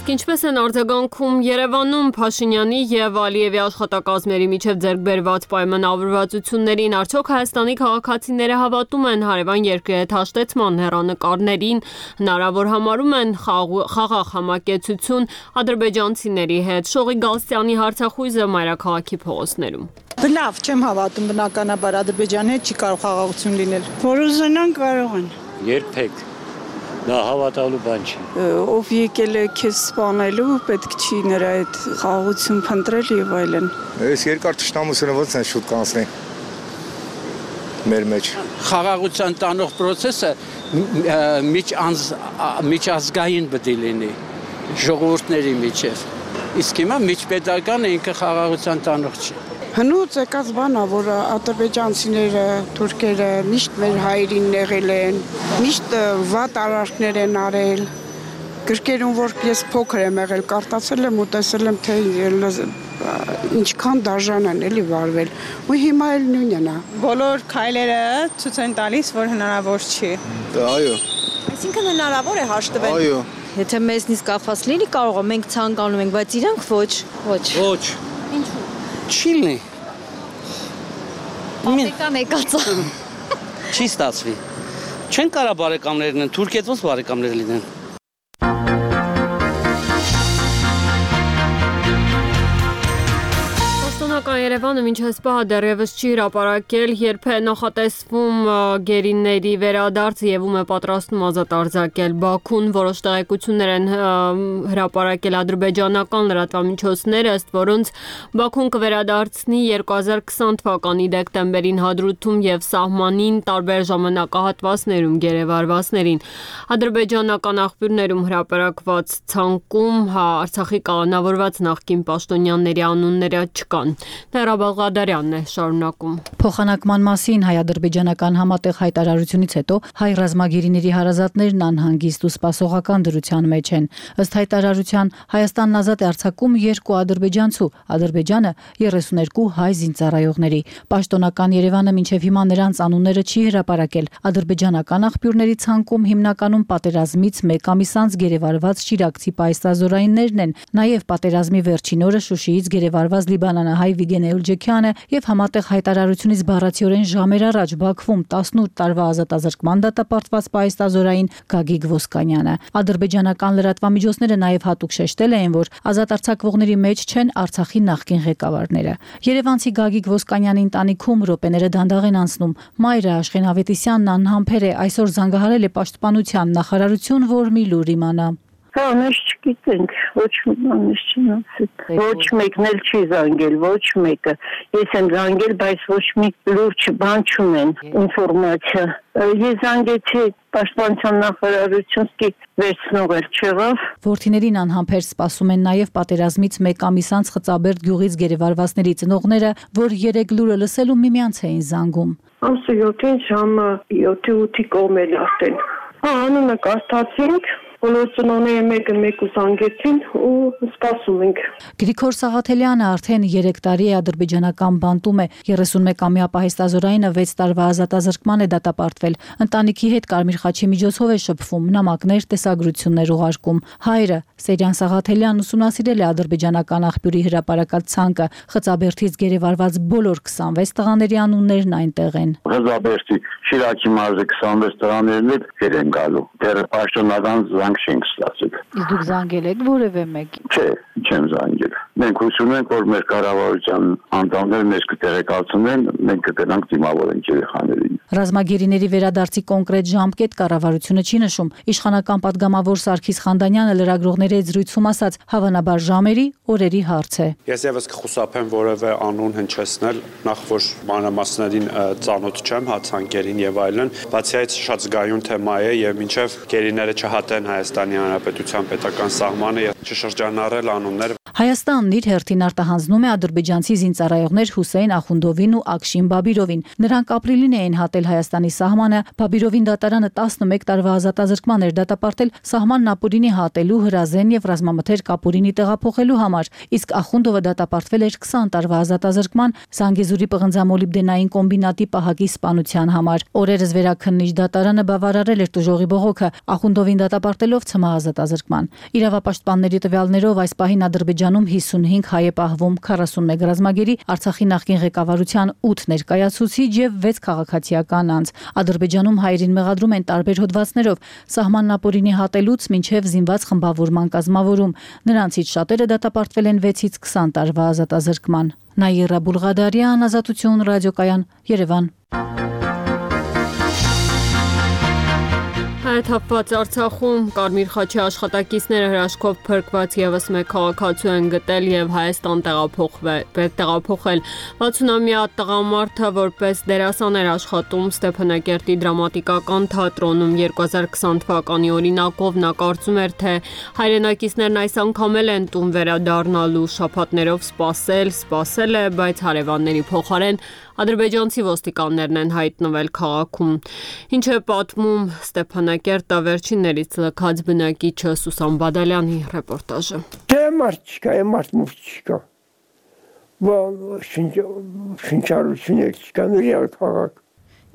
Իսկ ինչպես են արձագանքում Երևանում Փաշինյանի եւ Ալիևի աշխատակազմերի միջև ձեռք բերված պայմանավորվածություններին, արդյոք Հայաստանի քաղաքացիները հավատում են հարևան երկրի հետ հաշտեցման հեռանկարներին, հնարավոր համարում են խաղաղ համակեցություն ադրբեջանցիների հետ։ Շողի Գալստյանի հարցախույզը մայրաքաղաքի փողոցներում։ Լավ, չեմ հավատում, բնականաբար Ադրբեջանի հետ չի կարող խաղաղություն լինել։ Որ ուզենան կարող են։ Երբեք դա հավատալու բան չի։ Ով եկել է քեզ սպանելու, պետք չի նրա հետ խաղաղություն փնտրել եւ այլն։ Այս երկար ճշտամությունը ոնց են շուտ կանցնի մեր մեջ։ Խաղաղության տանող process-ը միջազգային պետք է լինի ժողովուրդների միջև։ Իսկ հիմա միջպետական ինքը խաղաղության տանող չի։ Հնուց եկած բան է, որ ադրբեջանցիները, թուրքերը միշտ մեր հայրին նեղել են, միշտ վատ արարքներ են արել։ Գրքերում, որ ես փոքր եմ եղել, կարտացել եմ ու տեսել եմ, թե ինչքան դաժան են էլի վարվել։ Ու հիմա էլ նույնն է։ Բոլոր քայլերը ցույց են տալիս, որ հնարավոր չի։ Այո։ Այսինքն հնարավոր է հաշտվել։ Այո։ Եթե մեզնից կախված լինի, կարող է մենք ցանկանում ենք, բայց իրանք ոչ։ Ոչ։ Ինչու՞։ Չի լինի։ Պատեկան եկածա։ Չի ստացվի։ Չեն կարա բարեկամներ լինեն, Թուրքիայից ոնց բարեկամներ լինեն։ Երևանը մինչ այս պահը դեռևս չի հրապարակել, երբ է նախատեսվում գերիների վերադարձը եւ ում է պատրաստում ազատ արձակել Բաքուն, որոշ տեղեկություններ են հրապարակել ադրբեջանական լրատվամիջոցները, ըստ որոնց Բաքուն կվերադարձնի 2020 թվականի դեկտեմբերին Հադրութում եւ սահմանին տարբեր ժամանակահատվածներում գերեվարվածներին։ Ադրբեջանական աղբյուրներում հրապարակված ցանկում Արցախի կալանավորված նախկին պաշտոնյաների անունները չկան։ Լերա Բաղդադարյանն է շարունակում։ Փոխանակման մասին հայ-ադրբեջանական համատեղ հայտարարությունից հետո հայ ռազմագերիների հարազատներն անհանգիստ ու սպասողական դրության մեջ են։ Ըստ հայտարարության Հայաստանն ազատ է արձակում 2 ադրբեջանցու, Ադրբեջանը 32 հայ զինծառայողների։ Պաշտոնական Երևանը մինչև հիմա նրանց անունները չի հրապարակել։ Ադրբեջանական աղբյուրների ցանկում հիմնականում պատերազմից 1 ամիս անց գերեվարված շիրակցի պայստազորայիններն են, նաև պատերազմի վերջին օրը Շուշիից գերեվարված լիբանանահայ Վիգեն Էլջեքյանը եւ համատեղ հայտարարությունից բառացիորեն ժամեր առաջ Բաքվում 18 տարվա ազատազրկման դատապարտված պայստազորային Գագիկ Ոսկանյանը։ Ադրբեջանական լրատվամիջոցները նաև հատուկ շեշտել էին, որ ազատ արձակվողների մեջ չեն Արցախի նախկին ղեկավարները։ Երևանցի Գագիկ Ոսկանյանի ընտանիքում րոպեները դանդաղ են անցնում։ Մայրը Աշխեն Ավետիսյանն անհամբեր է, այսօր զանգահարել է պաշտպանության նախարարություն, որ մի լուր իմանա։ Կանеш չգիտենք, ոչ մի բան չնասել։ Ոչ մեկն էլ չի զանգել, ոչ մեկը։ Ես եմ զանգել, բայց ոչ մի լուրջ բան չունեն, ինֆորմացիա։ Ես զանգեցի պաշտպանության նախարարություն, վերցնող էլ չեղավ։ Որդիներին անհամբեր սպասում են նաև պատերազմից 1 ամիս անց Խծաբերդ գյուղից գերեվարվածների ծնողները, որ 3 լուրը լսելու միմյանց էին զանգում։ Ամսը 7-ին ժամը 7-8-ի կողմել արդեն։ Անունը կարդացինք։ Բոլոր ծնողները մեկը զանգեցին ու սպասում ենք։ Գրիգոր Սաղաթելյանը արդեն 3 տարի է ադրբեջանական բանտում է, 31-ամյա պահեստազորայինը 6 տարվա ազատազրկման է դատապարտվել։ Ընտանիքի հետ Կարմիր խաչի միջոցով է շփվում, նամակներ, տեսագրություններ ուղարկում։ Հայրը Սերյան Սաղաթելյանն ուսումնասիրել է ադրբեջանական աղբյուրի հրապարակած ցանկը, Խծաբերդից գերեվարված բոլոր 26 տղաների անուններն այնտեղ են։ Խծաբերդի Շիրակի մարզի 26 տղաներն էլ են գալու։ Դեռ պաշտոնական չենք ստացել։ Իսկ դուք զանգել եք որևէ մեկին։ Չէ, չեմ զանգել։ Մենք հուսում ենք, որ մեր կառավարության անդամները մեզ կտեղեկացնեն, մենք կգնանք դիմավորենք երեխաներին։ Ռազմագերիների վերադարձի կոնկրետ ժամկետ կառավարությունը չի նշում։ Իշխանական падգամավոր Սարգիս Խանդանյանը լրագրողների հետ զրույցում ասաց, հավանաբար ժամերի, օրերի հարց է։ Ես եւս կխուսափեմ որևէ անուն հնչեցնել, նախ որ մանրամասներին ծանոթ չեմ, հացանկերին եւ այլն, բացի այդ շատ զգայուն թեմա է եւ մինչեւ գերիները չհատեն Հայաստանի Հանրապետության պետական սահմանը եւ չշրջանառել անուններ։ Հայաստանն իր հերթին արտահանձնում է ադրբեջանցի զինծառայողներ Հուսեյն Ախունդովին ու Ակշին Բաբիրովին։ Նրանք ապրիլին էին հատել Հայաստանի սահմանը, Բաբիրովին դատարանը 11 տարվա ազատազրկման էր դատապարտել սահմանն ապուրինի հատելու, հրազեն եւ ռազմամթերք ապուրինի տեղափոխելու համար, իսկ Ախունդովը դատապարտվել էր 20 տարվա ազատազրկման Զանգեզուրի պղնձամոլիբդենային կոմբինատի պահակի սպանության համար։ Օրերս վերաքննիչ դատարանը բավարարել էր տուժողի բողոքը, Ախունդովին դատապարտելով ցմահազատազրկման։ Իրավապաշտպանների տվյալներով այս պահին Ադրբեջանում 55 հայ է պահվում, 41 ռազմագերի, Արցախի նախկին ղեկավարության 8 ներկայացուցիչ եւ 6 քաղաքացիական անձ։ Ադրբեջանում հայերին մեղադրում են տարբեր հոդվածներով, սահմանն ապօրինի հատելուց մինչև զինված խմբավորման կազմավորում։ Նրանցից շատերը դատապարտվել են 6-ից 20 տարվա ազատազրկման։ Նաիրա Բուլղադարյան, Ազատություն ռադիոկայան, Երևան։ Հայթափված Արցախում Կարմիր խաչի աշխատակիցները հրաշքով փրկված եւս մեկ քաղաքացու են գտել եւ Հայաստան տեղափոխել։ 60-ամյա տղամարդը որպես դերասան էր աշխատում Ստեփանակերտի դրամատիկական թատրոնում 2020 թվականի օրինակով նա կարծում էր, թե հայրենակիցներն այս անգամ էլ են տուն վերադառնալու, շաբաթներով սպասել է, բայց հարևանների փոխարեն ադրբեջանցի ոստիկաններն են հայտնվել քաղաքում։ Ինչ է պատմում Ստեփանակերտը վերջիններից լքած բնակիչը Սուսան Բադալյանի ռեպորտաժը։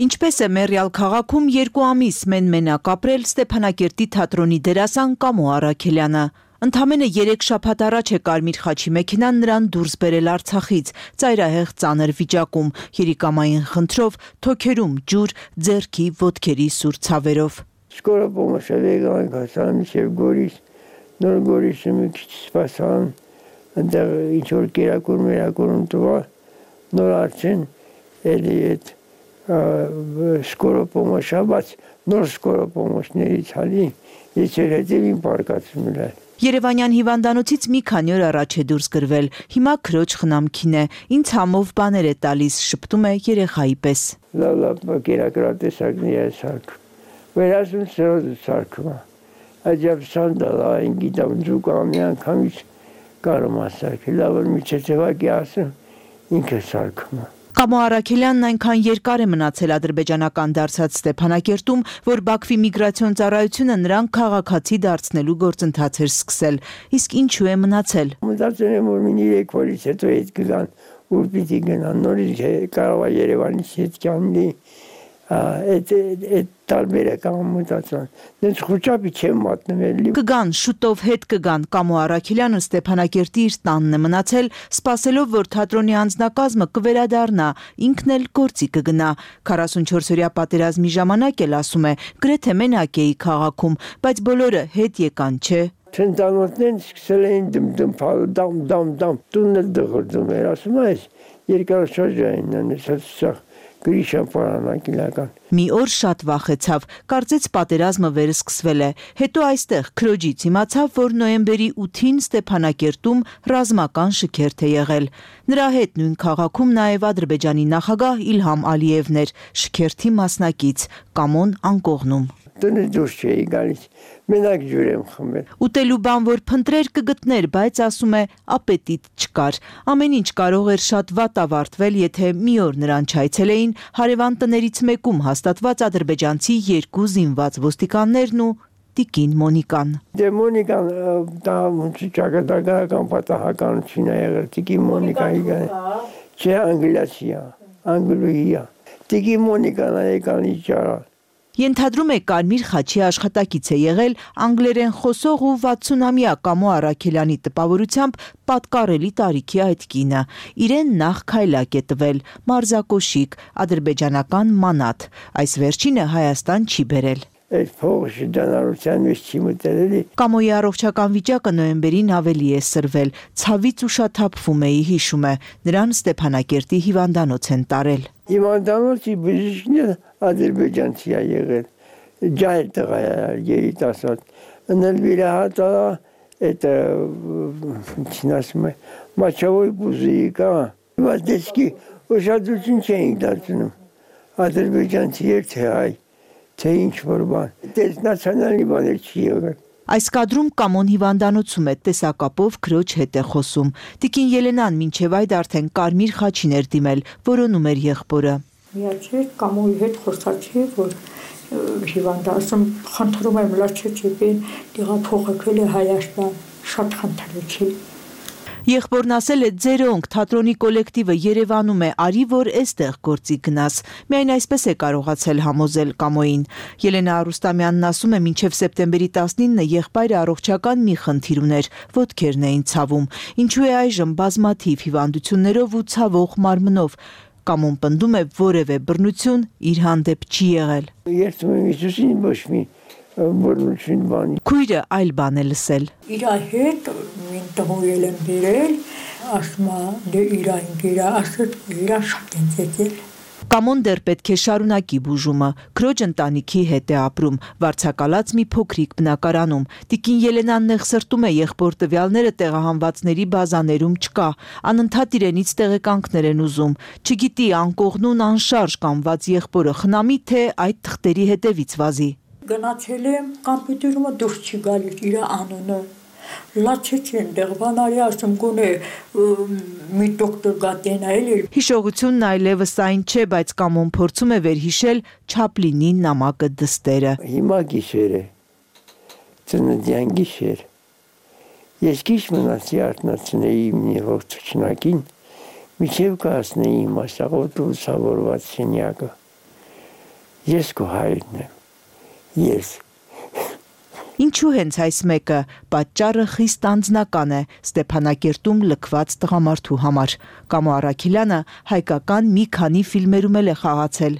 Ինչպես է Մեռյալ քաղաքում 2 ամիս մենմենակ ապրել Ստեփանակերտի թատրոնի դերասան Կամո Արաքելյանը։ Ընդամենը 3 շաբաթ առաջ է Կարմիր խաչի մեքենան նրան դուրս բերել Արցախից, ծայրահեղ ծանր վիճակում, երիկամային խնդրով, թոքերում ջուր, ձեռքի, ոտքերի սուր ցավերով։ Скоро помощь եկանք հասան մինչև Գորիս, նոր Գորիսը մի քիչ սպասան, այնտեղ ինչ որ կերակուր տվա, նոր արդեն էլի այդ скоро помощ, բայց նոր скоро помощներից հալի, ես էլ հետևին պարկացում եմ։ Երևանյան հիվանդանոցից մի քանի օր առաջ է դուրս գրվել, հիմա քրոջ խնամքին է, ինձ համով բաներ է տալիս, շփտում է երեխայի պես։ Լավ կերակրատեսակներ է սարքում, վերածում սրոզը սարքում է, այդյապ սանդալ, այն գիտամ ձուկ ամի անգամից կարում է սարքել, լավ որ մի չեցևակ է ասում, ինքը սարքում է։ Կամո Արաքելյանն այնքան երկար է մնացել ադրբեջանական դարձած Ստեփանակերտում, որ Բաքվի միգրացիոն ծառայությունը նրան քաղաքացի դարձնելու գործընթաց էր սկսել։ Իսկ ինչու է մնացել։ Մտածել եմ, որ մի 3 օրից հետո հետ կգան, ուր պիտի գնան, նորից կարող է Երևանից հետ գանլի, այդ տարբերակ ամուտացան։ Դες խոճապի չեմ մատնվել։ Կգան, շուտով հետ կգան։ Կամո Արաքելյանը Ստեփանակերտի իր տանն է մնացել, սպասելով, որ թատրոնի անձնակազմը կվերադառնա, ինքն էլ գործի կգնա։ 44-օրյա պատերազմի ժամանակ էլ ասում է, գրեթե մենակ էի քաղաքում, բայց բոլորը հետ եկան, չէ։ Ցենտանոթներն սկսել էին դմփալ, դամ, տունը դղրդում էր, ասում ես, երկարաշարժային են, սա Գրիշան պարանակիլական։ Մի օր շատ վախեցավ, կարծեց պատերազմը վերսկսվել է, հետո այստեղ քրոջից իմացավ, որ նոյեմբերի 8-ին Ստեփանակերտում ռազմական շքերթ է եղել։ Նրա հետ նույն քաղաքում նաև Ադրբեջանի նախագահ Իլհամ Ալիևն էր, շքերթի մասնակից, Կամոն անկողնում։ Տնից դուրս չէի գալիս, մենակ ջուր եմ խմել։ Ուտելու բան որ փնտրեր կգտներ, բայց ասում է ապետիտ չկար։ Ամեն ինչ կարող էր շատ վատ ավարտվել, եթե մի օր նրան չայցելեին հարևան տներից մեկում հաստատված ադրբեջանցի 2 զինված ոստիկաններն ու տիկին Մոնիկան։ Դե Մոնիկան դա ճակատագրական պատահականություն է եղել, տիկին Մոնիկայի չէ անգլիացի է, անգլուհի է։ Տիկին Մոնիկան եկան իջարա։ Ենթադրում է Կարմիր խաչի աշխատակից է եղել անգլերեն խոսող ու 60-ամյա Կամո Արաքելյանի տպավորությամբ պատկառելի տարիքի այդ կինը։ Իրեն նախ քայլակ է տվել, մարզակոշիկ, ադրբեջանական մանաթ, այս վերջինը Հայաստան չի բերել։ Այդ փողը շրջանառության մեջ չի մտել էլի։ Կամոյի առողջական վիճակը նոյեմբերին ավելի է սրվել, ցավից ուշաթափվում էի, հիշում է, նրան Ստեփանակերտի հիվանդանոց են տարել։ Հիվանդանոցի բժիշկն ադրբեջանցի է եղել, ջահել տղա է, երիտասարդ, ընել վիրահատա, այդ ինչին ասում է, մաչավոյ բուզիի կա, բայց դեսկի ուշադրություն չէինք դարձնում, ադրբեջանցի էր թե հայ, թե ինչ-որ բան, դες նացիոնալի բաներ չի եղել։ Այս կադրում Կամոն հիվանդանոցում է, տեսակապով քրոջ հետ է խոսում։ Տիկին Ելենան մինչև այդ արդեն Կարմիր խաչին էր դիմել, որոնում էր եղբորը։ Միացել Կամոյի հետ խոսացի, որ հիվանդացում խնդրում եմ լաչեցին, դիղափոխել է Հայաստան, շատ խնդրեցի։ Եղբորն ասել է ձերոնք թատրոնի կոլեկտիվը Երևանում է, արի որ էստեղ գործի գնաս։ Միայն այսպես է կարողացել համոզել Կամոյին։ Ելենա Արուստամյանն ասում է, մինչև սեպտեմբերի 19-ը եղբայրը առողջական մի խնդիր ուներ, ոտքերն էին ցավում։ Ինչու է այժմ բազմաթիվ հիվանդություններով ու ցավող մարմնով։ Կամոն պնդում է, որևէ բռնություն իր հանդեպ չի եղել։ Երբ Հիսուսին ոչ մի բռնություն բանի։ Քույրը այլ բան է լսել։ Իր հետ մին տղոյել եմ բերել, ասում դե իր ինքիրա, ասում իրա շատ ընծեցել։ Կամոն դեռ պետք է շարունակի բուժումը, քրոջ ընտանիքի հետ է ապրում, վարձակալած մի փոքրիկ բնակարանում։ Տիկին Ելենան նեղսրտում է, եղբոր տվյալները տեղահանվածների բազաներում չկա, անընդհատ իրենից տեղեկանքներ են ուզում։ Չգիտի անկողնուն անշարժ կանված եղբորը խնամի, թե այդ թղթերի հետևից վազի։ Գնացել եմ կամպյուտերումը դուրս չի գալիս իր անունը։ Լացեցին դեղվանարի ասում գոնե մի դոկտոր գատենա էլի։ Հիշողությունն այլևս այն չէ, բայց Կամոն փորձում է վերհիշել Չապլինի նամակը դստերը։ Հիմա գիշեր է, ծննդյան գիշեր։ Ես քիչ մնացի արթնացնեի մի ողջունակին, միջև կհասնեի իմ ասաղոտ ու ցավորված սենյակը։ Ես քո հայրն եմ։ Ես։ Ինչու հենց այս մեկը, պատճառը խիստ անձնական է Ստեփանակերտում լքված տղամարդու համար։ Կամո Արաքելյանը հայկական մի քանի ֆիլմերում էլ է խաղացել։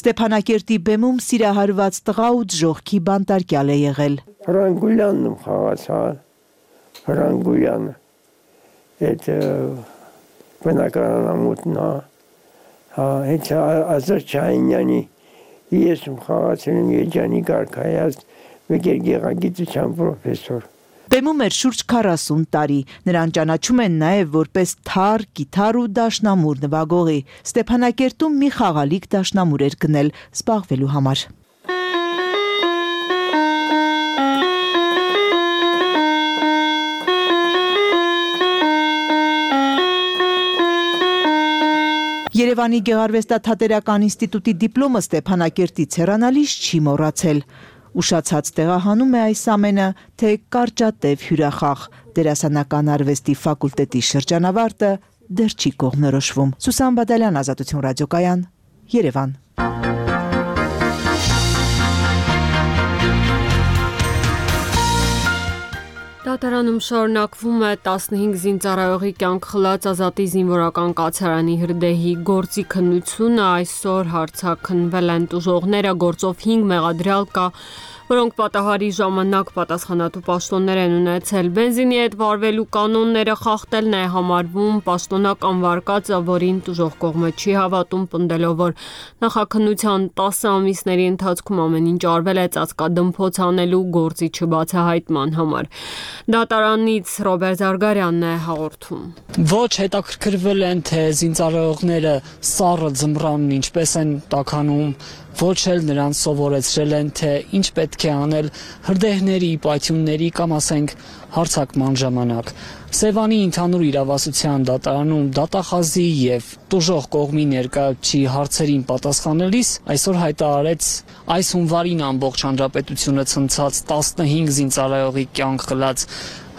Ստեփանակերտի բեմում սիրահարված տղա ու դժոխքի բանտարկյալ է եղել։ Հրանգուլյանն եմ խաղացա, Հրանգուլյանը, այդ բնակարանամուտն է, այդ Ազարչյանյանի ես եմ խաղացել եմ Երջանի Գարքայած, մեկ էր գեղագիտության պրոֆեսոր։ Բեմում էր շուրջ 40 տարի, նրան ճանաչում են նաև որպես թար, կիթառ ու դաշնամուր նվագողի։ Ստեփանակերտում մի խաղալիք դաշնամուր էր գնել զբաղվելու համար։ Երևանի Գեղարվեստաթատերական ինստիտուտի դիպլոմը Ստեփանակերտից հեռանալիս չի մոռացել։ Ուշացած տեղահանում է այս ամենը, թե կարճատև հյուրախաղ դերասանական արվեստի ֆակուլտետի շրջանավարտը դեռ չի կողմնորոշվում։ Սուսան Բադալյան, Ազատություն ռադիոկայան, Երևան։ Դատարանում շարունակվում է 15 զինծառայողի կյանք խլած Ազատի զինվորական կացարանի հրդեհի գործի քննությունը, այսօր հարցաքննվել են տուժողները, գործով 5 մեղադրյալ կա, որոնք պատահարի ժամանակ պատասխանատու պաշտոններ են ունեցել։ Բենզինի հետ վարվելու կանոնները խախտելն է համարվում, պաշտոնական վարկածը, որին տուժող կողմը չի հավատում, պնդելով, որ նախաքննության 10 ամիսների ընթացքում ամեն ինչ արվել է ծածկադմփոց անելու գործի չբացահայտման համար։ Դատարանից Ռոբերտ Զարգարյանն է հաղորդում։ Ոչ հետաքրքրվել են, թե զինծառայողները սառը ձմռանն ինչպես են տաքանում, ոչ էլ նրանց սովորեցրել են, թե ինչ պետք է անել հրդեհների, պայթյունների կամ ասենք հարձակման ժամանակ։ Սևանի ընդհանուր իրավասության դատարանում դատախազի եւ տուժող կողմի ներկայացուցիչի հարցերին պատասխանելիս այսօր հայտարարեց այս հունվարին ամբողջ հանրապետությունը ցնցած 15 զինծառայողի կյանք խլած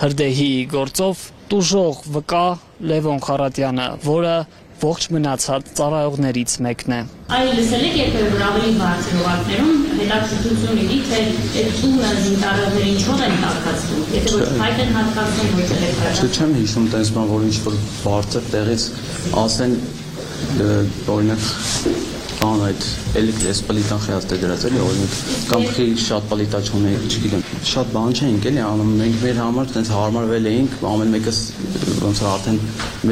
հրդեհի գործով տուժող վկա Լևոն Խարատյանը, որը ողջ մնացած ծառայողներից մեկն է։ Այլ լսել եք երբևէ որ ավելի բարձր օղակներում հետաքրքրություն լինի, թե այդ տունը զինծառայողները ինչով են տաքացնում, եթե ոչ փայտ են հատկացնում, ոչ էլ չեմ հիշում տես բան, որ ինչ որ բարձր տեղից ասեն օրինակ բան այդ էլեկտրես պլիտան խիացտ է դրած էլի օրինակ կամ խի շատ պլիտա չունի, չգիտեմ, շատ բան չենք էլի անում, մենք մեր համար տենց հարմարվել էինք, ամեն մեկս ոնց որ արդեն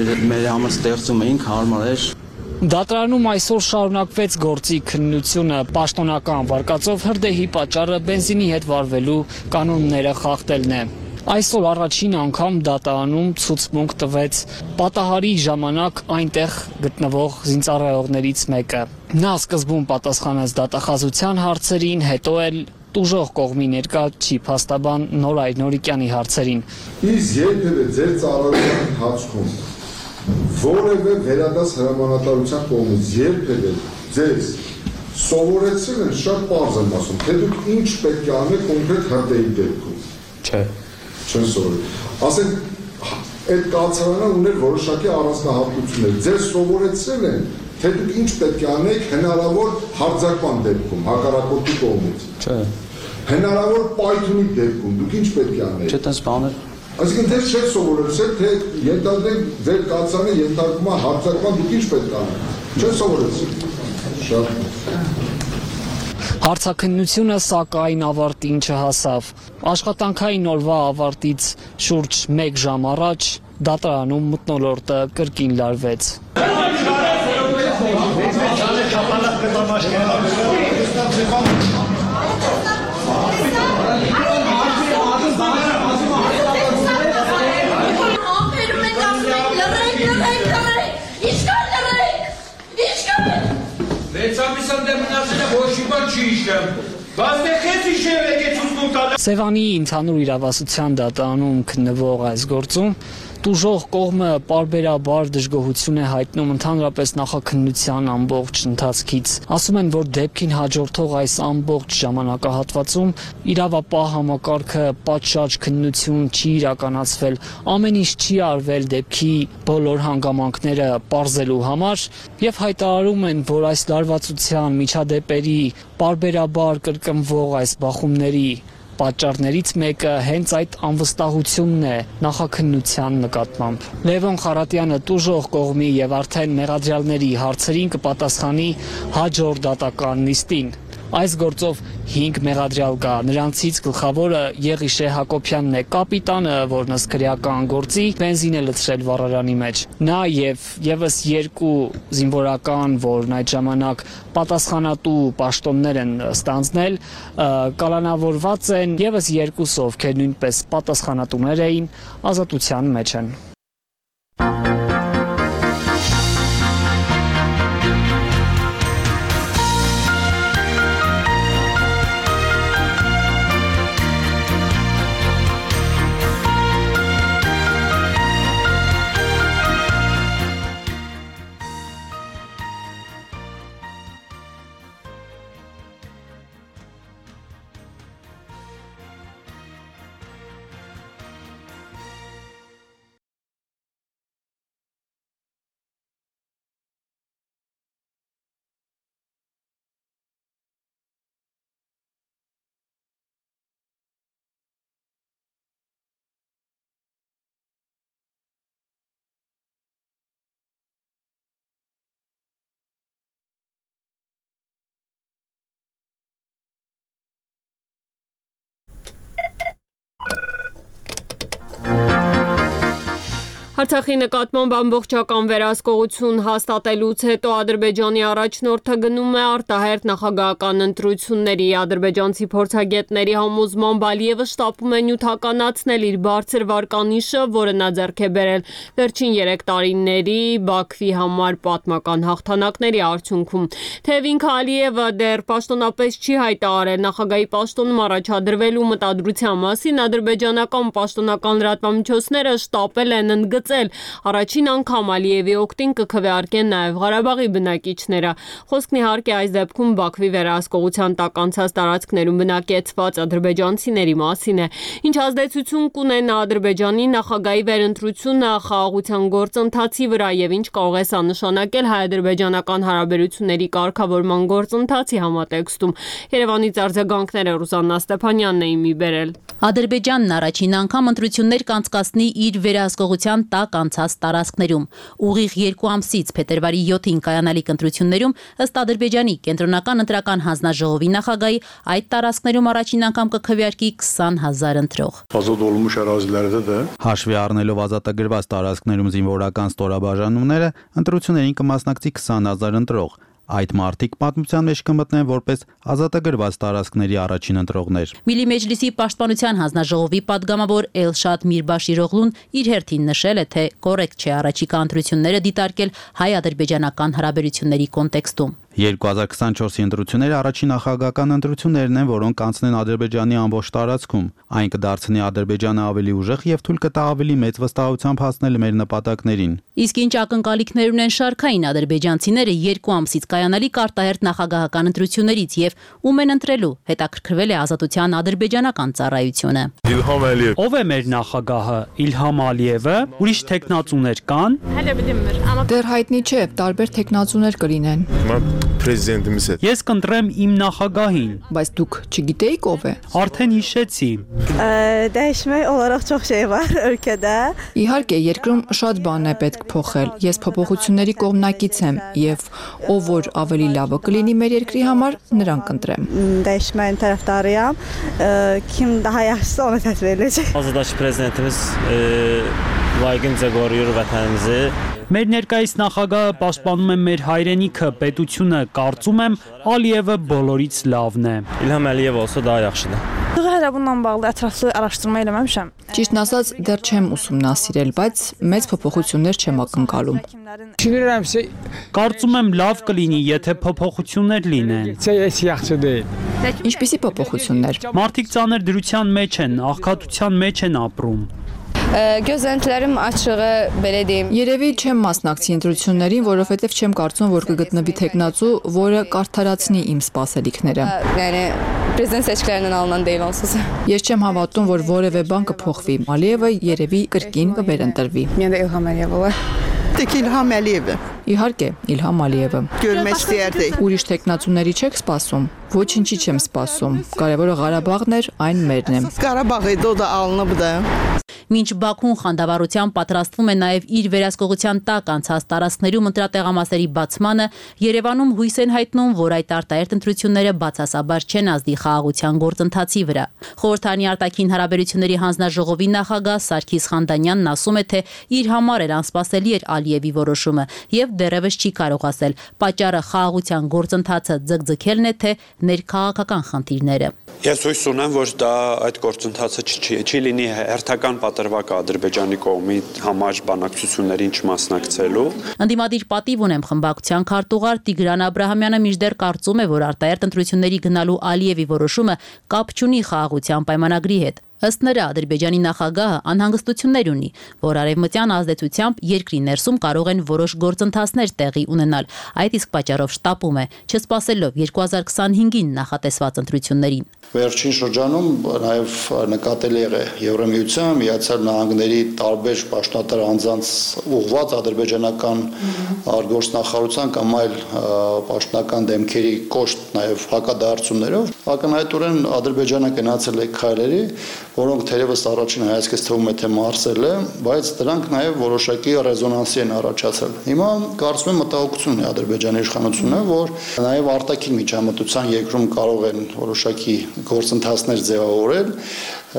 մեր համար ստեղծում էինք, հարմար էր։ Դատարանում այսօր շարունակվեց գործի քննությունը, պաշտոնական վարկածով հրդեհի պատճառը բենզինի հետ վարվելու կանոնները խախտելն է։ Այսօր առաջին անգամ դատարանում ցուցմունք տվեց պատահարի ժամանակ այնտեղ գտնվող զինծառայողներից մեկը։ Նա սկզբում պատասխանեց դատախազության հարցերին, հետո էլ տուժող կողմի ներկայացուցիչ փաստաբան Նորայր Նորիկյանի հարցերին։ Իսկ երբևէ ձեր ծառայության ընթացքում որևէ վերադաս հրամանատարության կողմից երբևէ ձեզ սովորեցրել են, շատ պարզ եմ ասում, թե դուք ինչ պետք է անեք կոնկրետ հրդեհի դեպքում։ Չէ։ Չեն սովորել։ Ասենք այդ կացարանը ուներ որոշակի առանձնահատկություններ։ Ձեզ սովորեցրել են, թե դուք ինչ պետք է անեք հնարավոր հարձակման դեպքում, հակառակորդի կողմից։ Չէ։ Հնարավոր պայթյունի դեպքում դուք ինչ պետք է անեք։ Չէ, տես բաներ։ Այսինքն դες չէ սովորեցրել, թե ենթադրենք ձեր կացարանը ենթարկվում է հարձակման, դուք ինչ պետք է անեք։ Չեն սովորեցրել։ Շատ։ Հարցաքննությունը սակայն ավարտին չհասավ։ Աշխատանքային օրվա ավարտից շուրջ 1 ժամ առաջ դատարանում մթնոլորտը կրկին լարվեց։ Սևանի ընդհանուր իրավասության դատարանում քննվող այս գործում տուժող կողմը պարբերաբար դժգոհություն է հայտնում ընդհանրապես նախաքննության ամբողջ ընթացքից։ Ասում են, որ դեպքին հաջորդող այս ամբողջ ժամանակահատվածում իրավապահ համակարգը պատշաճ քննություն չի իրականացվել, ամեն ինչ չի արվել դեպքի բոլոր հանգամանքները պարզելու համար եւ հայտարարում են, որ այս լարվածության միջադեպերի պարբերաբար կրկնվող այս բախումների պատճառներից մեկը հենց այդ անվստահությունն է նախաքննության նկատմամբ։ Լևոն Խարատյանը տուժող կողմի եւ արդեն մեղադրյալների հարցերին կպատասխանի հաջորդ դատական նիստին։ Այս գործով 5 մեղադրյալ կա, նրանցից գլխավորը Եղիշե Հակոբյանն է, կապիտանը, որն ըստ քրեական գործի բենզին է լցրել վառարանի մեջ։ Նա եւ եւս 2 զինվորական, որն այդ ժամանակ պատասխանատու պաշտոններ են ստանձնել, կալանավորված են, եւս 2 ովքեր նույնպես պատասխանատուներ էին, ազատության մեջ են։ Արցախի նկատմամբ ամբողջական վերահսկողություն հաստատելուց հետո Ադրբեջանի առաջնորդը գնում է արտահերթ նախագահական ընտրությունների։ Ադրբեջանցի փորձագետների համոզմամբ Ալիևը շտապում է նյութականացնել իր բարձր վարկանիշը, որը նա ձեռք է բերել վերջին 3 տարիների Բաքվի համար պատմական հաղթանակների արդյունքում։ Թեև ինքը Ալիևը դեռ պաշտոնապես չի հայտարարել նախագահի պաշտոնում առաջադրվելու մտադրության մասին, ադրբեջանական պաշտոնական լրատվամիջոցները շտապել են ընդգծել առաջին անգամ Ալիևի օգտին կքվեարկեն նաև Ղարաբաղի բնակիչները։ Խոսքն իհարկե այս դեպքում Բաքվի վերահսկողության տակ անցած տարածքներում բնակեցված ադրբեջանցիների մասին է։ Ինչ ազդեցություն կունենա Ադրբեջանի նախագահի վերընտրությունը խաղաղության գործընթացի վրա եւ ինչ կարող է սա նշանակել հայ-ադրբեջանական հարաբերությունների կարգավորման գործընթացի համատեքստում։ Երևանից արձագանքները Ռուզաննա Ստեփանյանն էին մի բերել։ Ադրբեջանն առաջին անգամ ընտրություններ կանցկացնի իր վերահսկողության տակ անցած տարածքներում։ Ուղիղ 2 ամսից փետրվարի 7-ին կայանալիք ընտրություններում ըստ Ադրբեջանի կենտրոնական ընտրական հանձնաժողովի նախագահի այդ տարածքներում առաջին անգամ կքվեարկի 20,000 ընտրող։ Հաշվի առնելով ազատագրված տարածքներում զինվորական ստորաբաժանումները, ընտրություններին կմասնակցի 20,000 ընտրող։ Այդ մարտիկ պատմության մեջ կմտնեն որպես ազատագրված տարածքների առաջին ընտրողներ։ Միլի Մեջլիսի պաշտպանության հանձնաժողովի падգամավոր Էլշադ Միրբաշիրօղլուն իր հերթին նշել է, թե կոռեկտ չէ առաջիկա ընտրությունները դիտարկել հայ-ադրբեջանական հարաբերությունների կոնտեքստում։ 2024-ի ընտրությունները առաջին նախագահական ընտրություններն են, որոնք կանցնեն Ադրբեջանի ամբողջ տարածքում։ Այն կդարձնի Ադրբեջանը ավելի ուժեղ եւ թույլ կտա ավելի մեծ վստահությամբ հասնել մեր նպատակներին։ Իսկ ինչ ակնկալիքներ ունեն շարքային ադրբեջանցիները 2 ամսից կայանալիք արտահերթ նախագահական ընտրություններից եւ ում են ընտրելու, հետաքրքրվել է Ազատության ադրբեջանական ծառայությունը։ Ով է մեր նախագահը, Իլհամ Ալիևը, ուրիշ տեխնացուներ կան։ Դեռ հայտնի չէ, տարբեր տեխնացուներ կլինեն։ Ես կընտրեմ իմ նախագահին։ Բայց դուք չգիտեիք ով է։ Արդեն հիշեցի։ Իհարկե, երկրում շատ բան է պետք փոխել։ Ես փոփոխությունների կողմնակից եմ եւ ով որ ավելի լավը կլինի մեր երկրի համար, նրան կընտրեմ։ Azadbaşı prezidentimiz layiqin qoruyur vətənimizi. Մեր ներկայիս նախագահը պաշտպանում է մեր հայրենիքը, պետությունը, կարծում եմ Ալիևը բոլորից լավն է։ İlham Əliyev olsa daha yaxşıdır։ Hələ bununla bağlı ətraflı araşdırma eləməmişəm։ Ճիշտն ասած, դեռ չեմ ուսումնասիրել, բայց մեծ փոփոխություններ չեմ ակնկալում։ Կարծում եմ լավ կլինի, եթե փոփոխություններ լինեն։ Ինչպիսի փոփոխություններ։ Մարդիկ ծանր դրության մեջ են, աղքատության մեջ են ապրում։ Gözləntilərim açığı belə deyim. Երևի չեմ մասնակցի ընտրություններին, որովհետև չեմ կարծում, որ կգտնվի տեխնացու, որը կարդարացնի իմ սպասելիքները։ Yəni prezident seçkilərindən alınan deyil onsuz. Ես չեմ հավատում, որ որևէ բան կփոխվի։ Ալիևը երևի կրկին կվերընտրվի։ Mən də İlham Əliyev olar։ Տեկ Իլհամ Ալիևը։ Իհարկե, Իլհամ Ալիևը։ Ուրիշ տեխնացուների չեք սպասում։ Ոչինչի չեմ սպասում։ Կարևորը Ղարաբաղն էր, այն մերն է։ Qarabağ da alınıb da։ Մինչ Բաքուն խանդավառությամբ պատրաստվում է նաև իր վերահսկողության տակ անցած տարածքներում ընտրատեղամասերի բացմանը, Երևանում հույս են հայտնում, որ այդ արտահերթ ընտրությունները բացասաբար չեն ազդի խաղաղության գործընթացի վրա։ Խորհրդանի արտաքին հարաբերությունների հանձնաժողովի նախագահ Սարգիս Խանդանյանն ասում է, թե իր համար էր անսպասելի էր Ալիևի որոշումը եւ դեռևս չի կարող ասել, պատճառը խաղաղության գործընթացը ձգձգելն է, թե ներքաղաքական խնդիրները։ Ես հույս ունեմ, որ դա այդ գործընթացը չի լինի հերթական պատրվակ Ադրբեջանի կողմի համար բանակցություններին չմասնակցելու։ Ընդդիմադիր պատիվ ունեմ խմբակցության քարտուղար Տիգրան Աբրահամյանը մինչդեռ կարծում է, որ արտահերթ ընտրությունների գնալու Ալիևի որոշումը կապ չունի խաղաղության պայմանագրի հետ։ Ըստ նրա Ադրբեջանի նախագահը անհանգստություններ ունի, որ արևմտյան ազդեցությամբ երկրի ներսում կարող են որոշ գործընթացներ տեղի ունենալ։ Այդ իսկ պատճառով շտապում է, չսպասելով 2025-ին նախատեսված ընտրություններին։ Վերջին շրջանում նաև նկատելի է Եվրամիության, Միացյալ Նահանգների տարբեր պաշտոնատար անձանց ուղղված ադրբեջանական արտգործնախարարության կամ այլ պաշտոնական դեմքերի կոշտ նաև հակադարձություններով ակնհայտորեն Ադրբեջանը գնացել է քայլերի, որոնք թերևս առաջին հայացքից թվում է թե մարսել է, բայց դրանք նաև որոշակի ռեզոնանսի են առաջացել։ Հիմա կարծում եմ մտահոգություն է Ադրբեջանի իշխանությունը, որ նաև արտաքին միջամտության երկրում կարող են որոշակի գործընթացներ ձևավորել,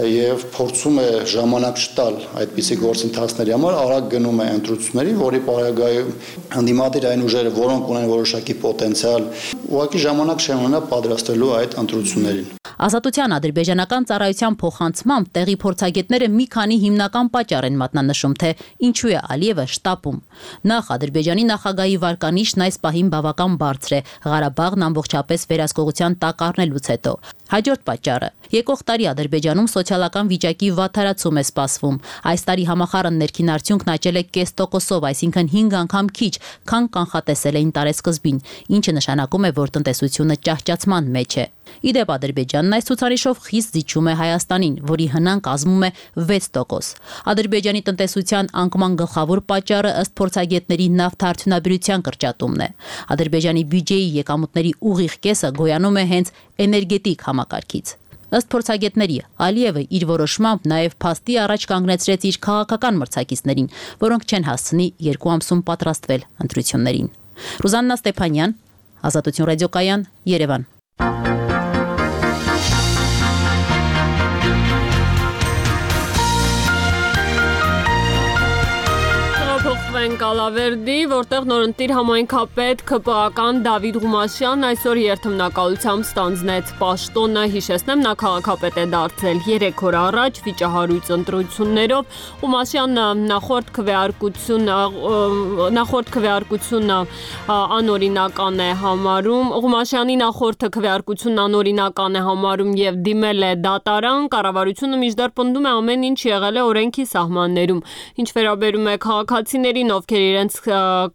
եւ փորձում է ժամանակ չտալ այդպիսի գործընթացների համար, արագ գնում է ընտրությունների, որի պարագայում հանդիմադիր այն ուժերը, որոնք ունեն որոշակի պոտենցիալ, ուղղակի ժամանակ չեն ունենա պատրաստելու այդ ընտրություններին։ Ազատության ադրբեջանական ծառայության փոխանցմամբ տեղի փորձագետները մի քանի հիմնական պատճառ են մատնանշում, թե ինչու է Ալիևը շտապում։ Նախ Ադրբեջանի նախագահի վարկանիշն այս պահին բավական բարձր է, Ղարաբաղն ամբողջապես վերահսկողության տակ առնելուց հետո։ Հաջորդ պատճառը՝ եկող տարի Ադրբեջանում սոցիալական վիճակի վատթարացում է սպասվում։ Այս տարի համախառն ներքին արդյունքն աճել է 0.5%, այսինքն 5 անգամ քիչ, քան կանխատեսել էին տարեսկզբին, ինչը նշանակում է, որ տնտեսությունը ճահճացման մեջ է։ Իդեպ Ադրբեջանն այս ցուցանիշով խիստ զիջում է Հայաստանին, որի հնան կազմում է 6%։ Ադրբեջանի տնտեսության անկման գլխավոր պատճառը ըստ փորձագետների նավթարդյունաբերության կրճատումն է։ Ադրբեջանի բյուջեի եկամուտների ուղիղ կեսը գոյանում է հենց էներգետիկ համակարգից։ Ըստ փորձագետների, Ալիևը իր որոշմամբ նաև փաստի առաջ կանգնեցրեց իր քաղաքական մրցակիցներին, որոնք չեն հասցնի 2 ամսում պատրաստվել ընտրություններին։ Ռուզաննա Ստեփանյան, Ազատություն ռադիոկայան, Երևան։ Կալավերդի, որտեղ նորընտիր համայնքապետ ՔՊԱ-ական Դավիթ Ղումաշյանն այսօր երթմնակալությամբ ստանձնեց պաշտոնը, հիշեցնեմ, նա քաղաքապետ է դարձել 3 օր առաջ վիճահարույց ընտրություններով։ Ղումաշյանը նախորդ քվեարկությունը անօրինական է համարում, Ղումաշյանի նախորդը քվեարկությունն անօրինական է համարում եւ դիմել է դատարան, կառավարությունը մինչդեռ պնդում է ամեն ինչ եղել է օրենքի սահմաններում։ Ինչ վերաբերում է քաղաքացիներին, ովքեր իրենց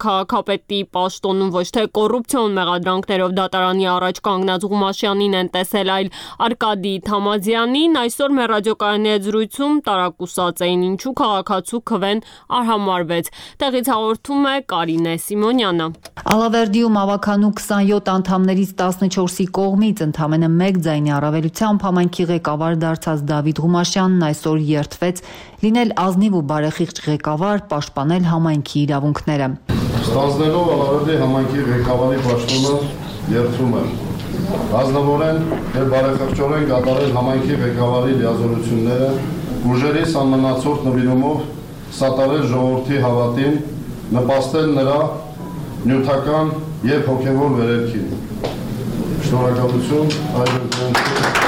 քաղաքապետի պաշտոնում ոչ թե կոռուպցիոն մեղադրանքներով դատարանի առաջ կանգնած Ղումաշյանին են տեսել, այլ Արկադի Թամազյանին, այսօր մեր ռադիոկայանի հետ զրույցում տարակուսած էին, ինչու քաղաքացու քվեն արհամարվեց։ Տեղից հաղորդում է Կարինե Սիմոնյանը։ Ալավերդիում ավականու 27 անդամներից 14-ի կողմից ընդամենը 1 ձայնի առավելությամբ համայնքի ղեկավար դարձած Դավիթ Ղումաշյանն այսօր երդվեց լինել ազնիվ ու բարեխիղճ ղեկավար, պաշտպանել համայնքի իրավունքները։ Ստանձնելով Ալավերդի համայնքի ղեկավարի պաշտոնը երդվում եմ ազնվորեն եւ բարեխիղճորեն կատարել համայնքի ղեկավարի լիազորությունները, ուժերի սահմանացորդ նվիրումով սատարել ժողովրդի հավատին, նպաստել նրա նյութական եւ հոգեվոր վերելքին։ Շնորհակալություն, այժմ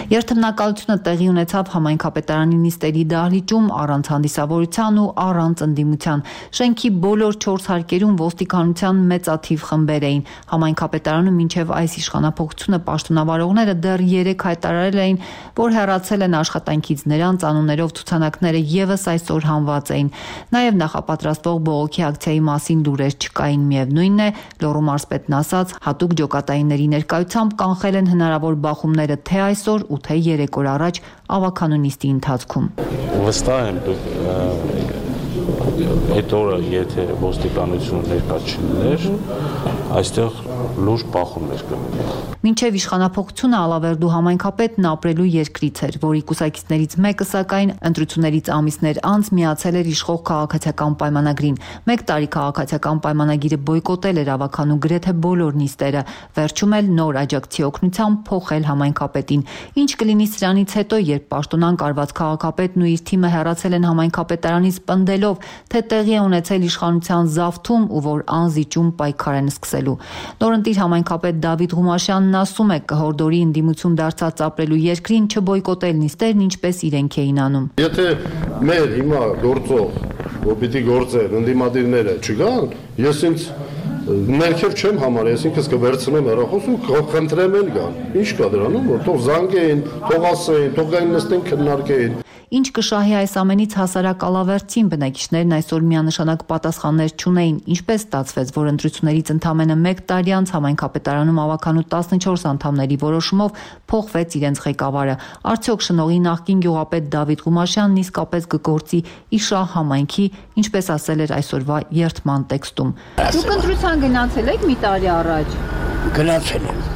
Երթմնակալությունը տեղի ունեցավ համայնքապետարանի նիստերի դահլիճում առանց հանդիսավորության ու առանց ընդդիմության։ Շենքի բոլոր 4 հարկերում ոստիկանության մեծաթիվ խմբեր էին։ Համայնքապետարանում մինչև այս իշխանափոխությունը պաշտոնավարողները դեռ 3 հայտարարել էին, որ հեռացել են աշխատանքից, նրանց անուններով ցուցանակները եւս այսօր հանված էին։ Նաեւ նախապատրաստվող բողոքի ակցիայի մասին լուրեր չկային, միևնույնն է, Լոռու մարզպետն ասաց, հատուկ ջոկատայինների ներկայությամբ կանխել են հնարավոր բախումները թե այսօր ու թե 3 օր առաջ ավականու նիստի ընթացքում։ Վստահ եմ, այդ օրը եթե ոստիկանությունը ներկա չլիներ, այստեղ լուրջ բախումներ կլիներ։ Մինչև իշխանափոխությունը Ալավերդու համայնքապետն ապրելու երկրից էր, որի կուսակիցներից մեկը սակայն ընտրություններից ամիսներ անց միացել էր իշխող քաղաքացիական պայմանագրին։ 1 տարի քաղաքացիական պայմանագիրը բոյկոտել էր ավականու գրեթե բոլոր նիստերը, վերջում էլ նոր աջակցի օգնությամբ փոխել համայնքապետին։ Ինչ կլինի սրանից հետո, երբ պաշտոնան կարված քաղաքապետն ու իր թիմը հեռացել են համայնքապետարանից պնդելով, թե տեղի է ունեցել իշխանության զավթում ու որ անզիջում պայքար են սկսելու։ Նորընտիր համայնքապետ Դավիթ Ղումաշյանն ասում է, կհորդորի ընդդիմություն դարձած ապրելու երկրին չբոյկոտել նիստերն, ինչպես իրենք էին անում։ Եթե մեր հիմա գործող, որ պիտի գործեն ընդդիմադիրները չգան, ես ինձ ներքև չեմ համարի, ես ինքս կվերցնեմ հեռախոս ու կխնդրեմ էլ գան։ Ինչ կա դրանում, որ թող զանգեին, թող ասեին, թող գային նստեն քննարկեին։ Ինչ կշահի այս ամենից հասարակ Ալավերդին, բնակիչներն այսօր միանշանակ պատասխաններ չունեին, ինչպես ստացվեց, որ ընտրություններից ընդամենը 1 տարի անց համայնքապետարանում ավականու 14 անդամների որոշումով փոխվեց իրենց ղեկավարը։ Արդյոք շնորհի նախկին գյուղապետ Դավիթ Ղումաշյանն իսկապես կգործի իշահ համայնքի, ինչպես ասել էր այսօրվա երթման տեքստում։ Դուք ընտրության գնացել եք մի տարի առաջ։ Գնացել եմ։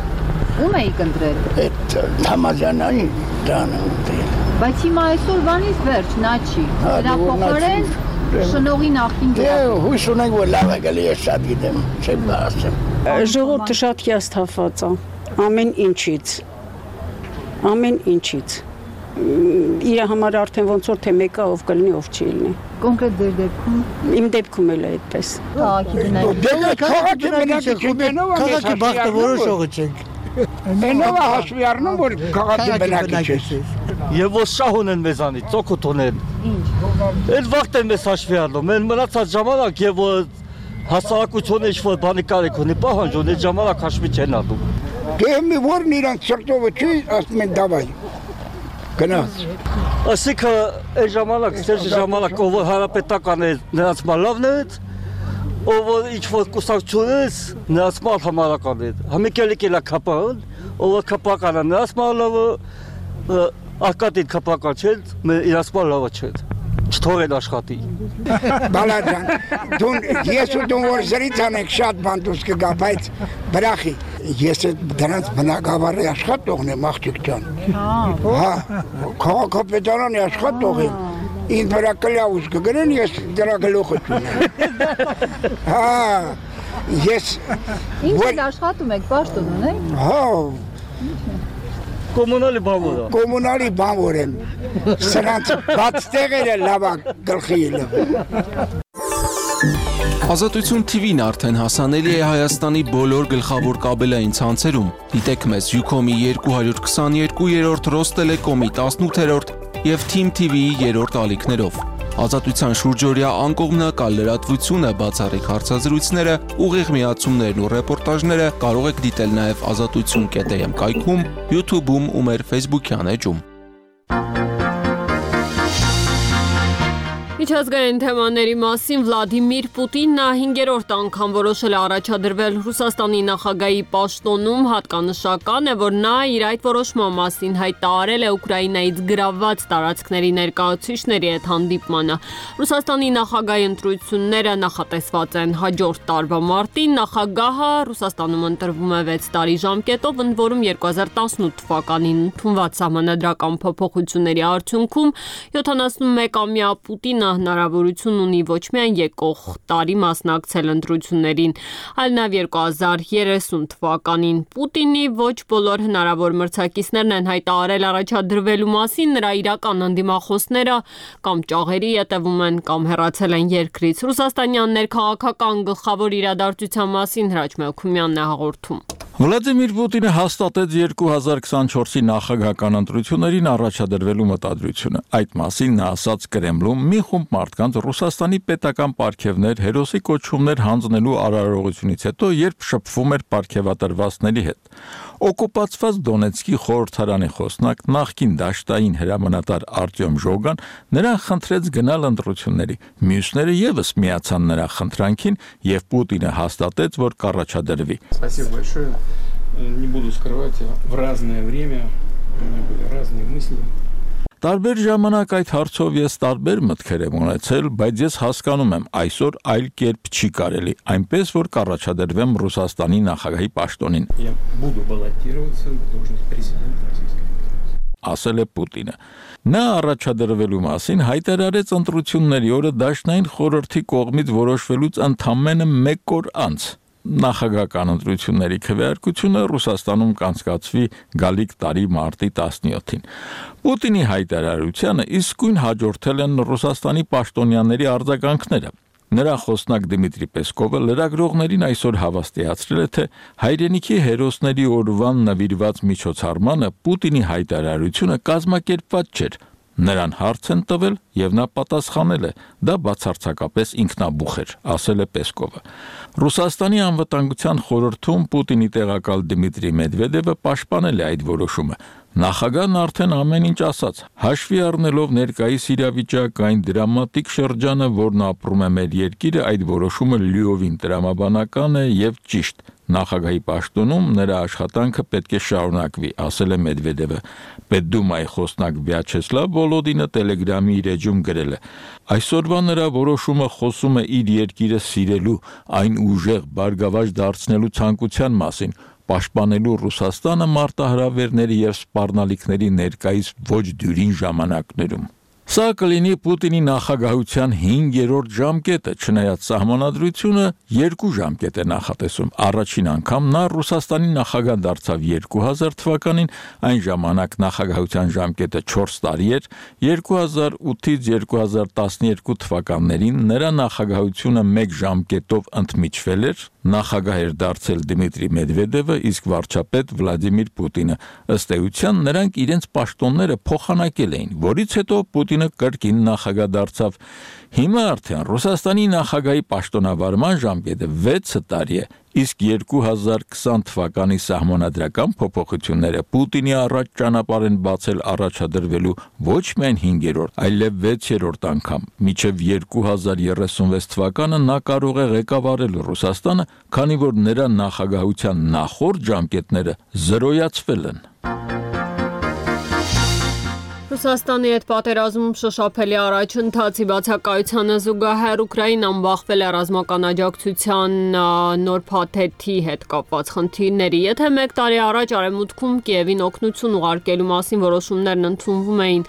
Ում եք ընտրել։ Այդ Թամազյանին դրան եմ ընտրել։ Բայց հիմա այսօր վանից վերջ նա չի։ Դրա փոխարեն Շնողի նախին հույս ունենք, որ լավ է գալի, ես շատ գիտեմ, չեմ ասեմ։ Ժողովուրդը շատ հիասթափված է ամեն ինչից։ Իր համար արդեն ոնց որ թե մեկը ով կլինի, ով չի լինի։ Կոնկրետ ձեր դեպքում։ Իմ դեպքում էլ է այդպես։ Քաղաքի բախտը որոշողը չենք։ Մենով հաշվի առնում, որ քաղաքի բնակիչ ես։ Եվ որ շահ ունեն մեզանից, ծոքուտ ունեն։ Այդ վաղտ են մեզ հաշվի առնում, են մնացած ժամանակ և որ հասարակությունը ինչ-որ բանի կարիք ունի, պահանջում, այդ ժամանակ հաշվի չեն առնում։ Դե մի որն իրանք սրտովը չի, ասում են դավայ, գնաց։ Ասիքը այդ ժամանակ, սերժի ժամանակ, ով որ հարապետական է, նրանց մալավն է, ով որ ինչ-որ կուսակցություն ես, նրանց մալ համարական է։ Համիկելիք էլա կապան, ով որ կապական է, նրանց մալավը, արկատին կապական չեն, իրանց մալավը չեն։ Չթողեն աշխատի։ Բալաջան, ես ու դուն որ զրից անենք շատ բան դուս կգա, բայց բրախի, ես դրանց բնակավարի աշխատողն եմ, աղջիկ ջան։ Հա, քաղաքապետարանի աշխատող եմ, ինձ վրա կլյավուս կգրեն, ես դրա գլուխը չունեմ։ Հա, ես… Ինչ էլ աշխատում եք, պաշտոն ունեք։ Հա, Կոմունալի բանվոր է։ Կոմունալի բանվոր եմ, սրանց բաց տեղերը լավա գլխի ելը։ Ազատություն TV-ն արդեն հասանելի է Հայաստանի բոլոր գլխավոր կաբելային ցանցերում։ Դիտեք մեզ Ucom-ի 222-րդ, Ռոստելեկոմի 18-րդ և Team TV-ի 3-րդ ալիքներով։ Ազատության շուրջօրյա անկողմնակալ լրատվությունը, բացառիկ հարցազրույցները, ուղիղ միացումներն ու ռեպորտաժները կարող եք դիտել նաև azatutsun.am կայքում, YouTube-ում ու մեր Facebook-յան էջում։ Միջազգային թեմաների մասին Վլադիմիր Պուտինն 5-րդ անգամ որոշել է առաջադրվել Ռուսաստանի նախագահի պաշտոնում, հատկանշական է, որ նա իր այդ որոշման մասին հայտարարել է Ուկրաինայից գրավված տարածքների ներկայացուցիչների հետ հանդիպմանը։ Ռուսաստանի նախագահի ընտրությունները նախատեսված են հաջորդ տարվա մարտին, նախագահը Ռուսաստանում ընտրվում է 6 տարի ժամկետով, ընդ որում 2018 թվականին ընդունված սահմանադրական փոփոխությունների արդյունքում 71-ամյա Պուտինը հնարավորություն ունի ոչ միայն եկող տարի մասնակցել ընտրություններին, այլ նաև 2030 թվականին։ Պուտինի ոչ բոլոր հնարավոր մրցակիցներն են հայտարարել առաջադրվելու մասին, նրա իրական ընդդիմախոսները կամ ճաղերի ետևում են, կամ հեռացել են երկրից։ Ռուսաստանյան ներքաղաքական գլխավոր իրադարձության մասին Հրաչ Մելքումյանն է հաղորդում։ Վլադիմիր Պուտինը հաստատեց 2024-ի նախագահական ընտրություններին առաջադրվելու մտադրությունը։ Այդ մասին նա ասաց Կրեմլում մի խումբ մարդկանց Ռուսաստանի պետական պարգևներ, հերոսի կոչումներ հանձնելու արարողությունից հետո, երբ շփվում էր պարգևատրվածների հետ։ Օկուպացված Դոնեցկի խորհրդարանի խոսնակ, նախկին դաշտային հրամանատար Արտյոմ Ժոգան նրան խնդրեց գնալ ընտրությունների։ Մյուսները ևս միացան նրա խնդրանքին, եւ Պուտինը հաստատեց, որ կառաջադրվի։ Не буду скрывать, в разное время у меня были разные мысли. Տարբեր ժամանակ այդ հարցով ես տարբեր մտքեր եմ ունեցել, բայց ես հասկանում եմ, այսօր այլ կերպ չի կարելի, այնպես որ կառաջադրվեմ Ռուսաստանի նախագահի պաշտոնին։ Я буду баллотироваться на должность президента Российской Федерации. Ասել է Պուտինը։ Նա առաջադրվելու մասին հայտարարեց ընտրությունների օրը Դաշնային խորհրդի կողմից որոշվելուց ընդամենը 1 օր անց։ Նախագահական ընտրությունների քվեարկությունը Ռուսաստանում կանցկացվի գալիք տարի մարտի 17-ին։ Պուտինի հայտարարությանը իսկույն հաջորդել են Ռուսաստանի պաշտոնյաների արձագանքները։ Նրա խոսնակ Դմիտրի Պեսկովը լրագրողներին այսօր հավաստիացրել է, թե հայրենիքի հերոսների օրվան նվիրված միջոցառմանը Պուտինի հայտարարությունը կազմակերպված չէր։ Նրան հարց են տվել եւ նա պատասխանել է. դա բացարձակապես ինքնաբուխ էր, ասել է Պեսկովը։ Ռուսաստանի անվտանգության խորհրդում Պուտինի տեղակալ Դմիտրի Մեդվեդևը պաշտպանել է այդ որոշումը։ Նախագահն արդեն ամեն ինչ ասաց, հաշվի առնելով ներկայիս իրավիճակային դրամատիկ շրջանը, որն ապրում է մեր երկիրը, այդ որոշումը լիովին տրամաբանական է եւ ճիշտ։ Նախագահի պաշտոնում նրա աշխատանքը պետք է շարունակվի, ասել է Մեդվեդևը։ Պետդումայի խոսնակ Վյաչեսլավ Վոլոդինը Telegram-ի իր էջում գրել է. այսօրվա նրա որոշումը խոսում է իր երկիրը սիրելու, այն ուժեղ, բարգավաճ դարձնելու ցանկության մասին, պաշտպանելու Ռուսաստանը մարտահրավերների եւ սպառնալիքների ներկայիս ոչ դյուրին ժամանակներում։ Սա կլինի Պուտինի նախագահության 5-րդ ժամկետը, չնայած սահմանադրությունը 2 ժամկետ է նախատեսում։ Առաջին անգամ նա Ռուսաստանի նախագահ դարձավ 2000 թվականին, այն ժամանակ նախագահության ժամկետը 4 տարի էր, 2008-ից 2012 թվականներին նրա նախագահությունը 1 ժամկետով ընդմիջվել էր, նախագահ էր դարձել Դմիտրի Մեդվեդևը, իսկ վարչապետ Վլադիմիր Պուտինը։ Ըստ էության նրանք իրենց պաշտոնները փոխանակել էին, որից հետո Պուտինը կրկին նախագահ դարձավ։ Հիմա արդեն Ռուսաստանի նախագահի պաշտոնավարման ժամկետը 6 տարի է, իսկ 2020 թվականի սահմանադրական փոփոխությունները Պուտինի առաջ ճանապարհ են բացել առաջադրվելու ոչ միայն 5-րդ, այլև 6-րդ անգամ։ Մինչև 2036 թվականը նա կարող է ղեկավարել Ռուսաստանը, քանի որ նրա նախագահության նախորդ ժամկետները զրոյացվել են։ Ռուսաստանի հետ պատերազմում շոշափելի առաջընթացի բացակայությանը զուգահեռ Ուկրաինան բախվել է ռազմական աջակցության նոր փաթեթի հետ կապված խնդիրների։ Եթե 1 տարի առաջ Արևմուտքում Կիևին օգնություն ուղարկելու մասին որոշումներն ընդունվում էին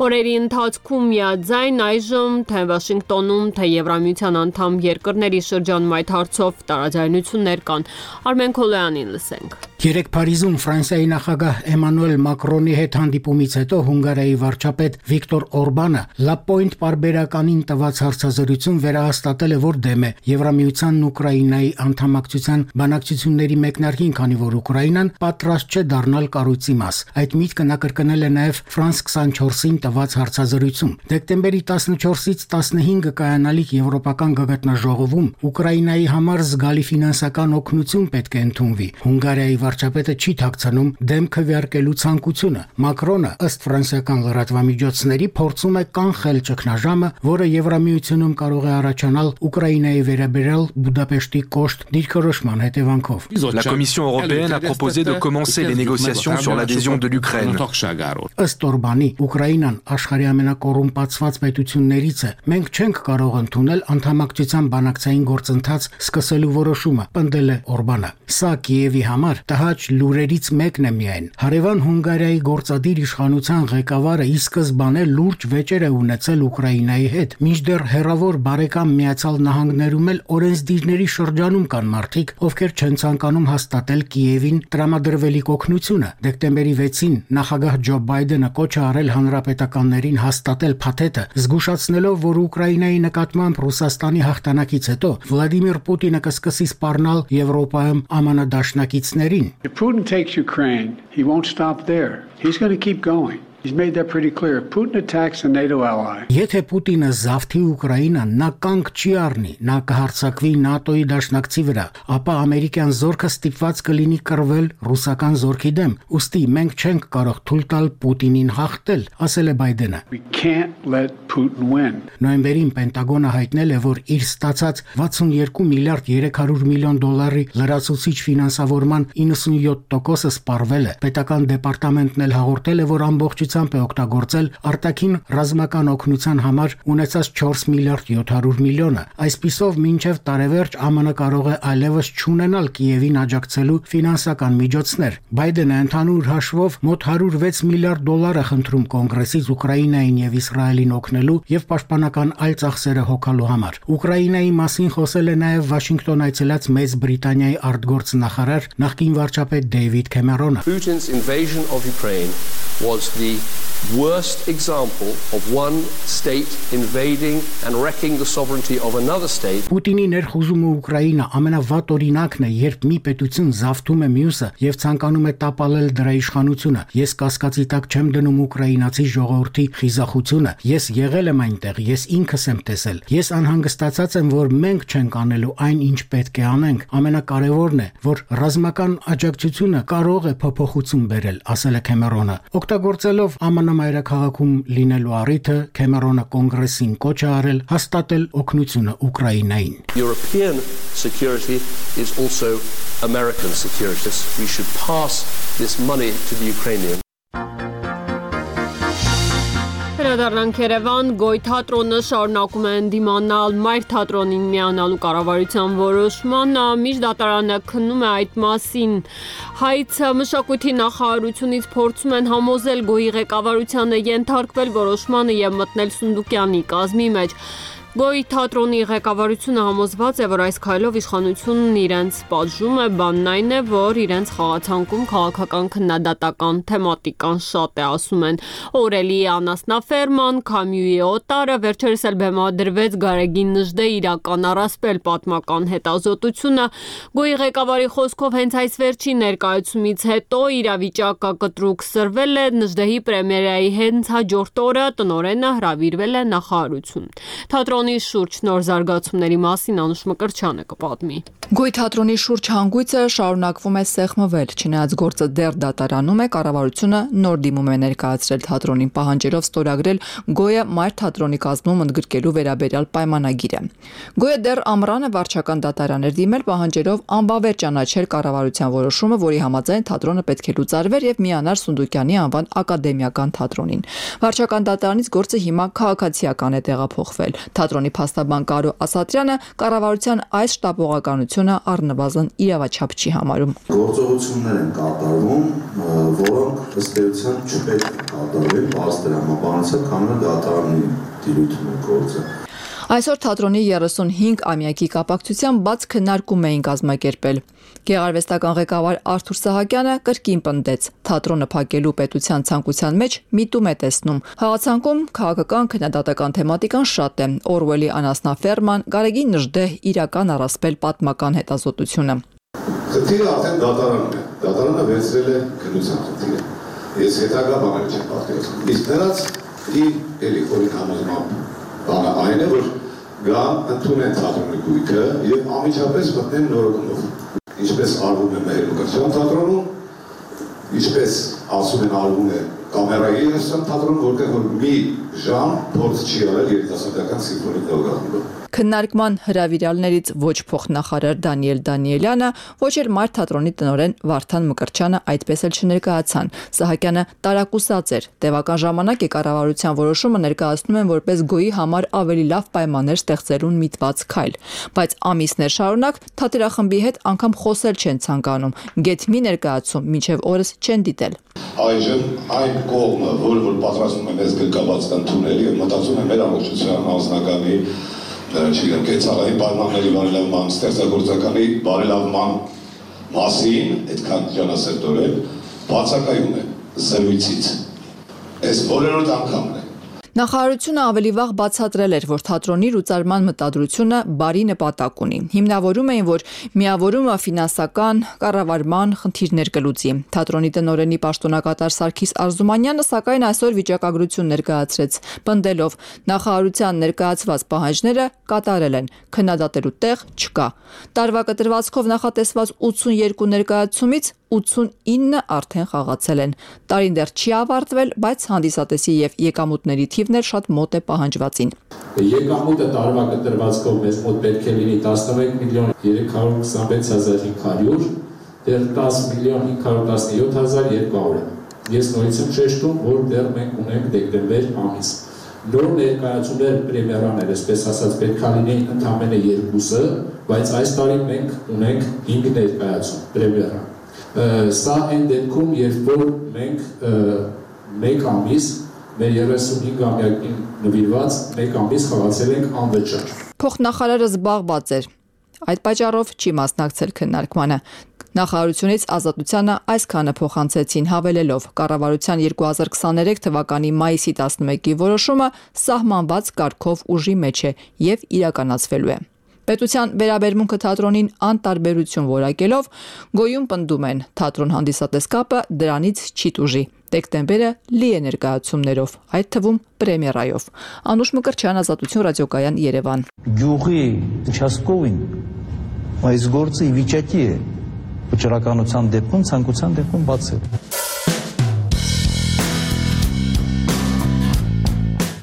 օրերի ընթացքում միաձայն, այժմ թե Վաշինգտոնում, թե Եվրամիության անդամ երկրների շրջանում այդ հարցով տարաձայնություններ կան։ Արմեն Քոլոյանին լսենք։ Երեկ Փարիզում Ֆրանսիայի նախագահ Էմանուել Մակրոնի հետ հանդիպումից հետո Հունգարիայի վարչապետ Վիկտոր Օրբանը Լապոինտ պարբերականին տված հարցազրույցում վերահաստատել է, որ դեմ է Եվրամիությանն Ուկրաինայի անդամակցության բանակցությունների մեկնարկին, քանի որ Ուկրաինան պատրաստ չէ դառնալ կառույցի մաս։ Այդ միտքը նա կրկնել է նաև France 24-ին տված հարցազրույցում։ Դեկտեմբերի 14-ից 15 կայանալիք Եվրոպական գագաթնաժողովում Ուկրաինայի համար զգալի ֆինանսական օգնություն պետք է ընդունվի։ Հունգարիայի վարչապետը չի թաքցնում դեմ քվեարկելու ցանկությունը։ Մակրոնը ըստ ֆրանսիական լրատվամիջոցների փորձում է կանխել ճգնաժամը, որը Եվրամիությունում կարող է առաջանալ Ուկրաինայի վերաբերյալ Բուդապեշտի կոշտ դիրքորոշման հետևանքով։ La Commission européenne a proposé de commencer les négociations sur l'adhésion de l'Ukraine. Ըստ Օրբանի, Ուկրաինան աշխարհի ամենակոռումպացված պետություններից է։ Մենք չենք կարող ընդունել անդամակցության բանակցային գործընթաց սկսելու որոշումը, պնդել է Օրբանը։ Սա Կիևի համար տհաճ լուրերից մեկն է միայն։ Հարևան Հունգարիայի գործադիր իշխանության ղեկավարը ի սկզբանե լուրջ վեճեր է ունեցել Ուկրաինայի հետ, մինչդեռ հերավոր բարեկամ Միացյալ Նահանգներում էլ օրենսդիրների շրջանում կան մարդիկ, ովքեր չեն ցանկանում հաստատել Կիևին տրամադրվելիք օգնությունը։ Դեկտեմբերի 6-ին նախագահ Ջո Բայդենը կոչ է արել հանրապետականներին հաստատել փաթեթը, զգուշացնելով, որ Ուկրաինայի նկատմամբ Ռուսաստանի հաղթանակից հետո Վլադիմիր Պուտինը կսկսի սպառնալ Եվրոպայում ԱՄՆ դաշնակիցներին։ If Putin takes Ukraine, he won't stop there. He's going to keep going. He's made that pretty clear. Putin attacks a NATO ally. Եթե Պուտինը զավթի Ուկրաինան, նա կանգ չի առնի, նա կհարձակվի ՆԱՏՕ-ի դաշնակցի վրա, ապա ամերիկյան զորքը ստիպված կլինի կռվել ռուսական զորքի դեմ։ Ուստի մենք չենք կարող թույլ տալ Պուտինին հաղթել, ասել է Բայդենը։ We can't let Putin win. Նոյեմբերին Պենտագոնը հայտնել է, որ իր ստացած 62 միլիարդ 300 միլիոն դոլարի լրացուցիչ ֆինանսավորման 97%-ը սպառվել է։ Պետական դեպարտամենտն էլ հաղորդել է, որ ամբողջ է օգտագործել արտաքին ռազմական օգնության համար ունեցած 4 միլիարդ 700 միլիոնը։ Այսպիսով մինչև տարեվերջ ԱՄՆ կարող է այլևս չունենալ Կիևին աջակցելու ֆինանսական միջոցներ։ Բայդենը ընդհանուր հաշվով մոտ 106 միլիարդ դոլար է խնդրում կոնգրեսից Ուկրաինային եւ Իսրայելին օգնելու եւ պաշտպանական այլ ծախսերը հոգալու համար։ Ուկրաինայի մասին խոսել է նաեւ Վաշինգտոն այցելած Մեծ Բրիտանիայի արտգործնախարար նախկին վարչապետ Դեյվիդ Քեմերոնը։ Putin's invasion of Ukraine was the worst example of one state invading and wrecking the sovereignty of another state. Պուտինի ներխուժումը Ուկրաինա ամենավատ օրինակն է, երբ մի պետություն զավթում է մյուսը եւ ցանկանում է տապալել դրա իշխանությունը։ Ես կասկածի տակ չեմ դնում ուկրաինացի ժողովրդի խիզախությունը։ Ես եղել եմ այնտեղ, ես ինքս եմ տեսել։ Ես անհանգստացած եմ, որ մենք չենք անելու այն, ինչ պետք է անենք։ Ամենակարևորն է, որ ռազմական աջակցությունը կարող է փոփոխություն բերել, ասել է Քեմերոնը։ Օգտագործելով ԱՄՆ մայրաքաղաքում լինելու առիթը Քեմերոնը կոնգրեսին կոչ է արել հաստատել օգնությունը Ուկրաինային։ European security is also American security. We should pass this money to the Ukrainians. Վերադառնանք Երևան, Գոյ թատրոնը շարունակում է ընդդիմանալ մայր թատրոնին միանալու կառավարության որոշմանը, միջդատարանը քննում է այդ մասին։ Հայց մշակույթի նախարարությունից փորձում են համոզել Գոյի ղեկավարությանը ենթարկվել որոշմանը եւ մտնել Սունդուկյանի կազմի մեջ։ Գոյի թատրոնի ղեկավարությունը համոզված է, որ այս քայլով իշխանությունն իրենց պատժում է, բանն այն է, որ իրենց խաղացանկում քաղաքական քննադատական թեմատիկան շատ է, ասում են Օրելի Անասնաֆերման, Քամյուի Օտարը, վերջերս էլ բեմադրվեց Գարեգին Նժդեի իրական առասպել պատմական հետազոտությունը։ Գոյի ղեկավարի խոսքով հենց այս վերջին ներկայացումից հետո իրավիճակը կտրուկ սրվել է, Նժդեի պրեմիերայի հենց հաջորդ օրը տնօրենը հրավիրվել է նախարարություն։ Թատրոնի շուրջ նոր զարգացումների մասին Անուշ Մկրտչյանը կպատմի։ Գոյ թատրոնի շուրջ հանգույցը շարունակվում է սեղմվել, չնայած գործը դեռ դատարանում է, կառավարությունը նոր դիմում է ներկայացրել թատրոնին պահանջելով ստորագրել Գոյը մայր թատրոնի կազմում ընդգրկելու վերաբերյալ պայմանագիրը։ Գոյը դեռ ամռանը վարչական դատարան էր դիմել պահանջելով անբավեր ճանաչել կառավարության որոշումը, որի համաձայն թատրոնը պետք է լուծարվեր եւ միանար Սունդուկյանի անվան ակադեմիական թատրոնին։ Վարչական դատարանից գործը հիմա քաղաքացիական է տեղափոխվել։ Թատրոնի փաստաբան Կարո Ասատրյանը կառավարության այս շտապողականությունը առնվազն իրավաչափ չի համարում։ Գործողություններ են կատարվում, որոնք ըստ էության չպետք է կատարվեն, բաց դրամաբանությամբ, քանի որ դատարանի դիրույթում է գործը։ Այսօր թատրոնի 35-ամյակի կապակցությամբ բաց քննարկում էին կազմակերպել։ Գեղարվեստական ղեկավար Արթուր Սահակյանը կրկին պնդեց, թատրոնը փակելու պետության ցանկության մեջ միտում է տեսնում։ Խաղացանկում քաղաքական քննադատական թեմատիկան շատ է։ Օրվելի Անասնաֆերման, Գարեգին Նժդե իրական առասպել պատմական հետազոտությունը։ Խնդիրը արդեն դատարանում է։ Դատարանը վերցրել է քննության խնդիրը։ Ես հետագա բաներ չեմ պատկերացնում։ Իսկ նրանց էլի խորին համոզմամբ բանը այն է, որ գան ընդունեն թատրոնի գույքը եւ անմիջապես մտնեն նորոգումով։ Ինչպես արվում է մեր Մկրտչյան թատրոնում, ինչպես ասում են արվում է կամերայի թատրոնում, որտեղ որ մի ժամ փորձ չի արել երիտասարդական սիմֆոնիկ լոգարանում։ Քննարկման հրավիրալներից ոչ փոխնախարար Դանիել Դանիելյանը, ոչ էլ մայր թատրոնի տնօրեն Վարդան Մկրտչյանը այդպես էլ չներկայացան։ Սահակյանը տարակուսած էր։ Տևական ժամանակ է կառավարության որոշումը ներկայացնում են որպես Գոյի համար ավելի լավ պայմաններ ստեղծելուն միտված քայլ, բայց ամիսներ շարունակ թատերախմբի հետ անգամ խոսել չեն ցանկանում։ Գեթ մի ներկայացում մինչև օրս չեն դիտել։ Այժմ այն կողմը, որ պատրաստում է մեզ գրկաբաց ընդունել եւ մտածում է մեր ամբողջության անձնականի չգիտեմ, կեցաղային պայմանների բարելավման, ստեղծագործականի բարելավման մասին այդքան ջանասերտորեն բացակայում է զրույցից։ Այս բոլորոդ անգամն է։ Նախարարությունը ավելի վաղ բացատրել էր, որ թատրոնի լուծարման մտադրությունը բարի նպատակ ունի։ Հիմնավորում էին, որ միավորումը ֆինանսական կառավարման խնդիրներ կլուծի։ Թատրոնի տնօրենի պաշտոնակատար Սարգիս Արզումանյանը սակայն այսօր վիճակագրություն ներկայացրեց, պնդելով նախարարության ներկայացված պահանջները կատարել են, քննադատելու տեղ չկա։ Տարվա կտրվածքով նախատեսված 82 ներկայացումից 89 արդեն խաղացել են։ Տարին դեռ չի ավարտվել, բայց հանդիսատեսի եւ եկամուտների թիվն էլ շատ մոտ է պահանջվածին։ Եկամուտը տարվա կտրվածքով մեզ մոտ պետք է լինի 11 միլիոն 326,500, դեռ 10 միլիոն 517,200։ Ես նորից եմ շեշտում, որ դեռ մենք ունենք դեկտեմբեր ամիս։ Նոր ներկայացումներ պրեմիերաներ, այսպես ասած, պետք է լինեին ընդամենը 2-ը, բայց այս տարի մենք ունենք 5 ներկայացում պրեմիերա։ Սա այն դեպքում, երբ որ մենք մեկ ամիս, մեր 35-ամյակին նվիրված մեկ ամիս խաղացել ենք անվճար։ Փոխնախարարը զբաղված էր։ Այդ պատճառով չի մասնակցել քննարկմանը։ Նախարարությունից Ազատությանը այսքանը փոխանցեցին հավելելով կառավարության 2023 թվականի մայիսի 11-ի որոշումը սահմանված կարգով ուժի մեջ է եւ իրականացվելու է։ Պետության վերաբերմունքը թատրոնին անտարբերություն որակելով Գոյում պնդում են թատրոն հանդիսատես կապը դրանից չի տուժի։ Դեկտեմբերը լի է ներկայացումներով, այդ թվում պրեմիերայով։ Անուշ Մկրտչյան, Ազատություն ռադիոկայան, Երևան։ Գյուղի участковին այս գործը ի վիճակի է վճռականության դեպքում, ցանկության դեպքում բացել։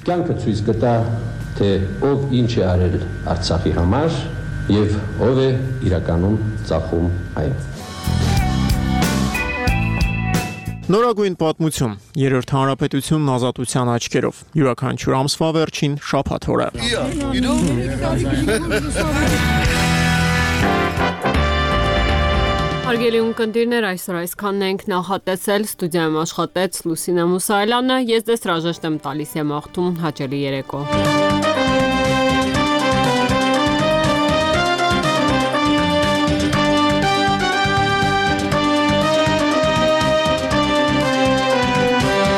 Կյանքը ցույց կտա, թե ով ինչ է արել Արցախի համար եւ ով է իրականում ծախում այն։ Նորագույն պատմություն, երրորդ հանրապետությունն ազատության աչքերով, յուրաքանչյուր ամսվա վերջին շաբաթ օրը։ Հարգելի ունկնդիրներ, այսօր այսքանն ենք նախատեսել, ստուդիայում աշխատեց Լուսինե Մուսայելյանը, ես դες հրաժեշտ եմ տալիս եմ աղթում հաճելի երեկո։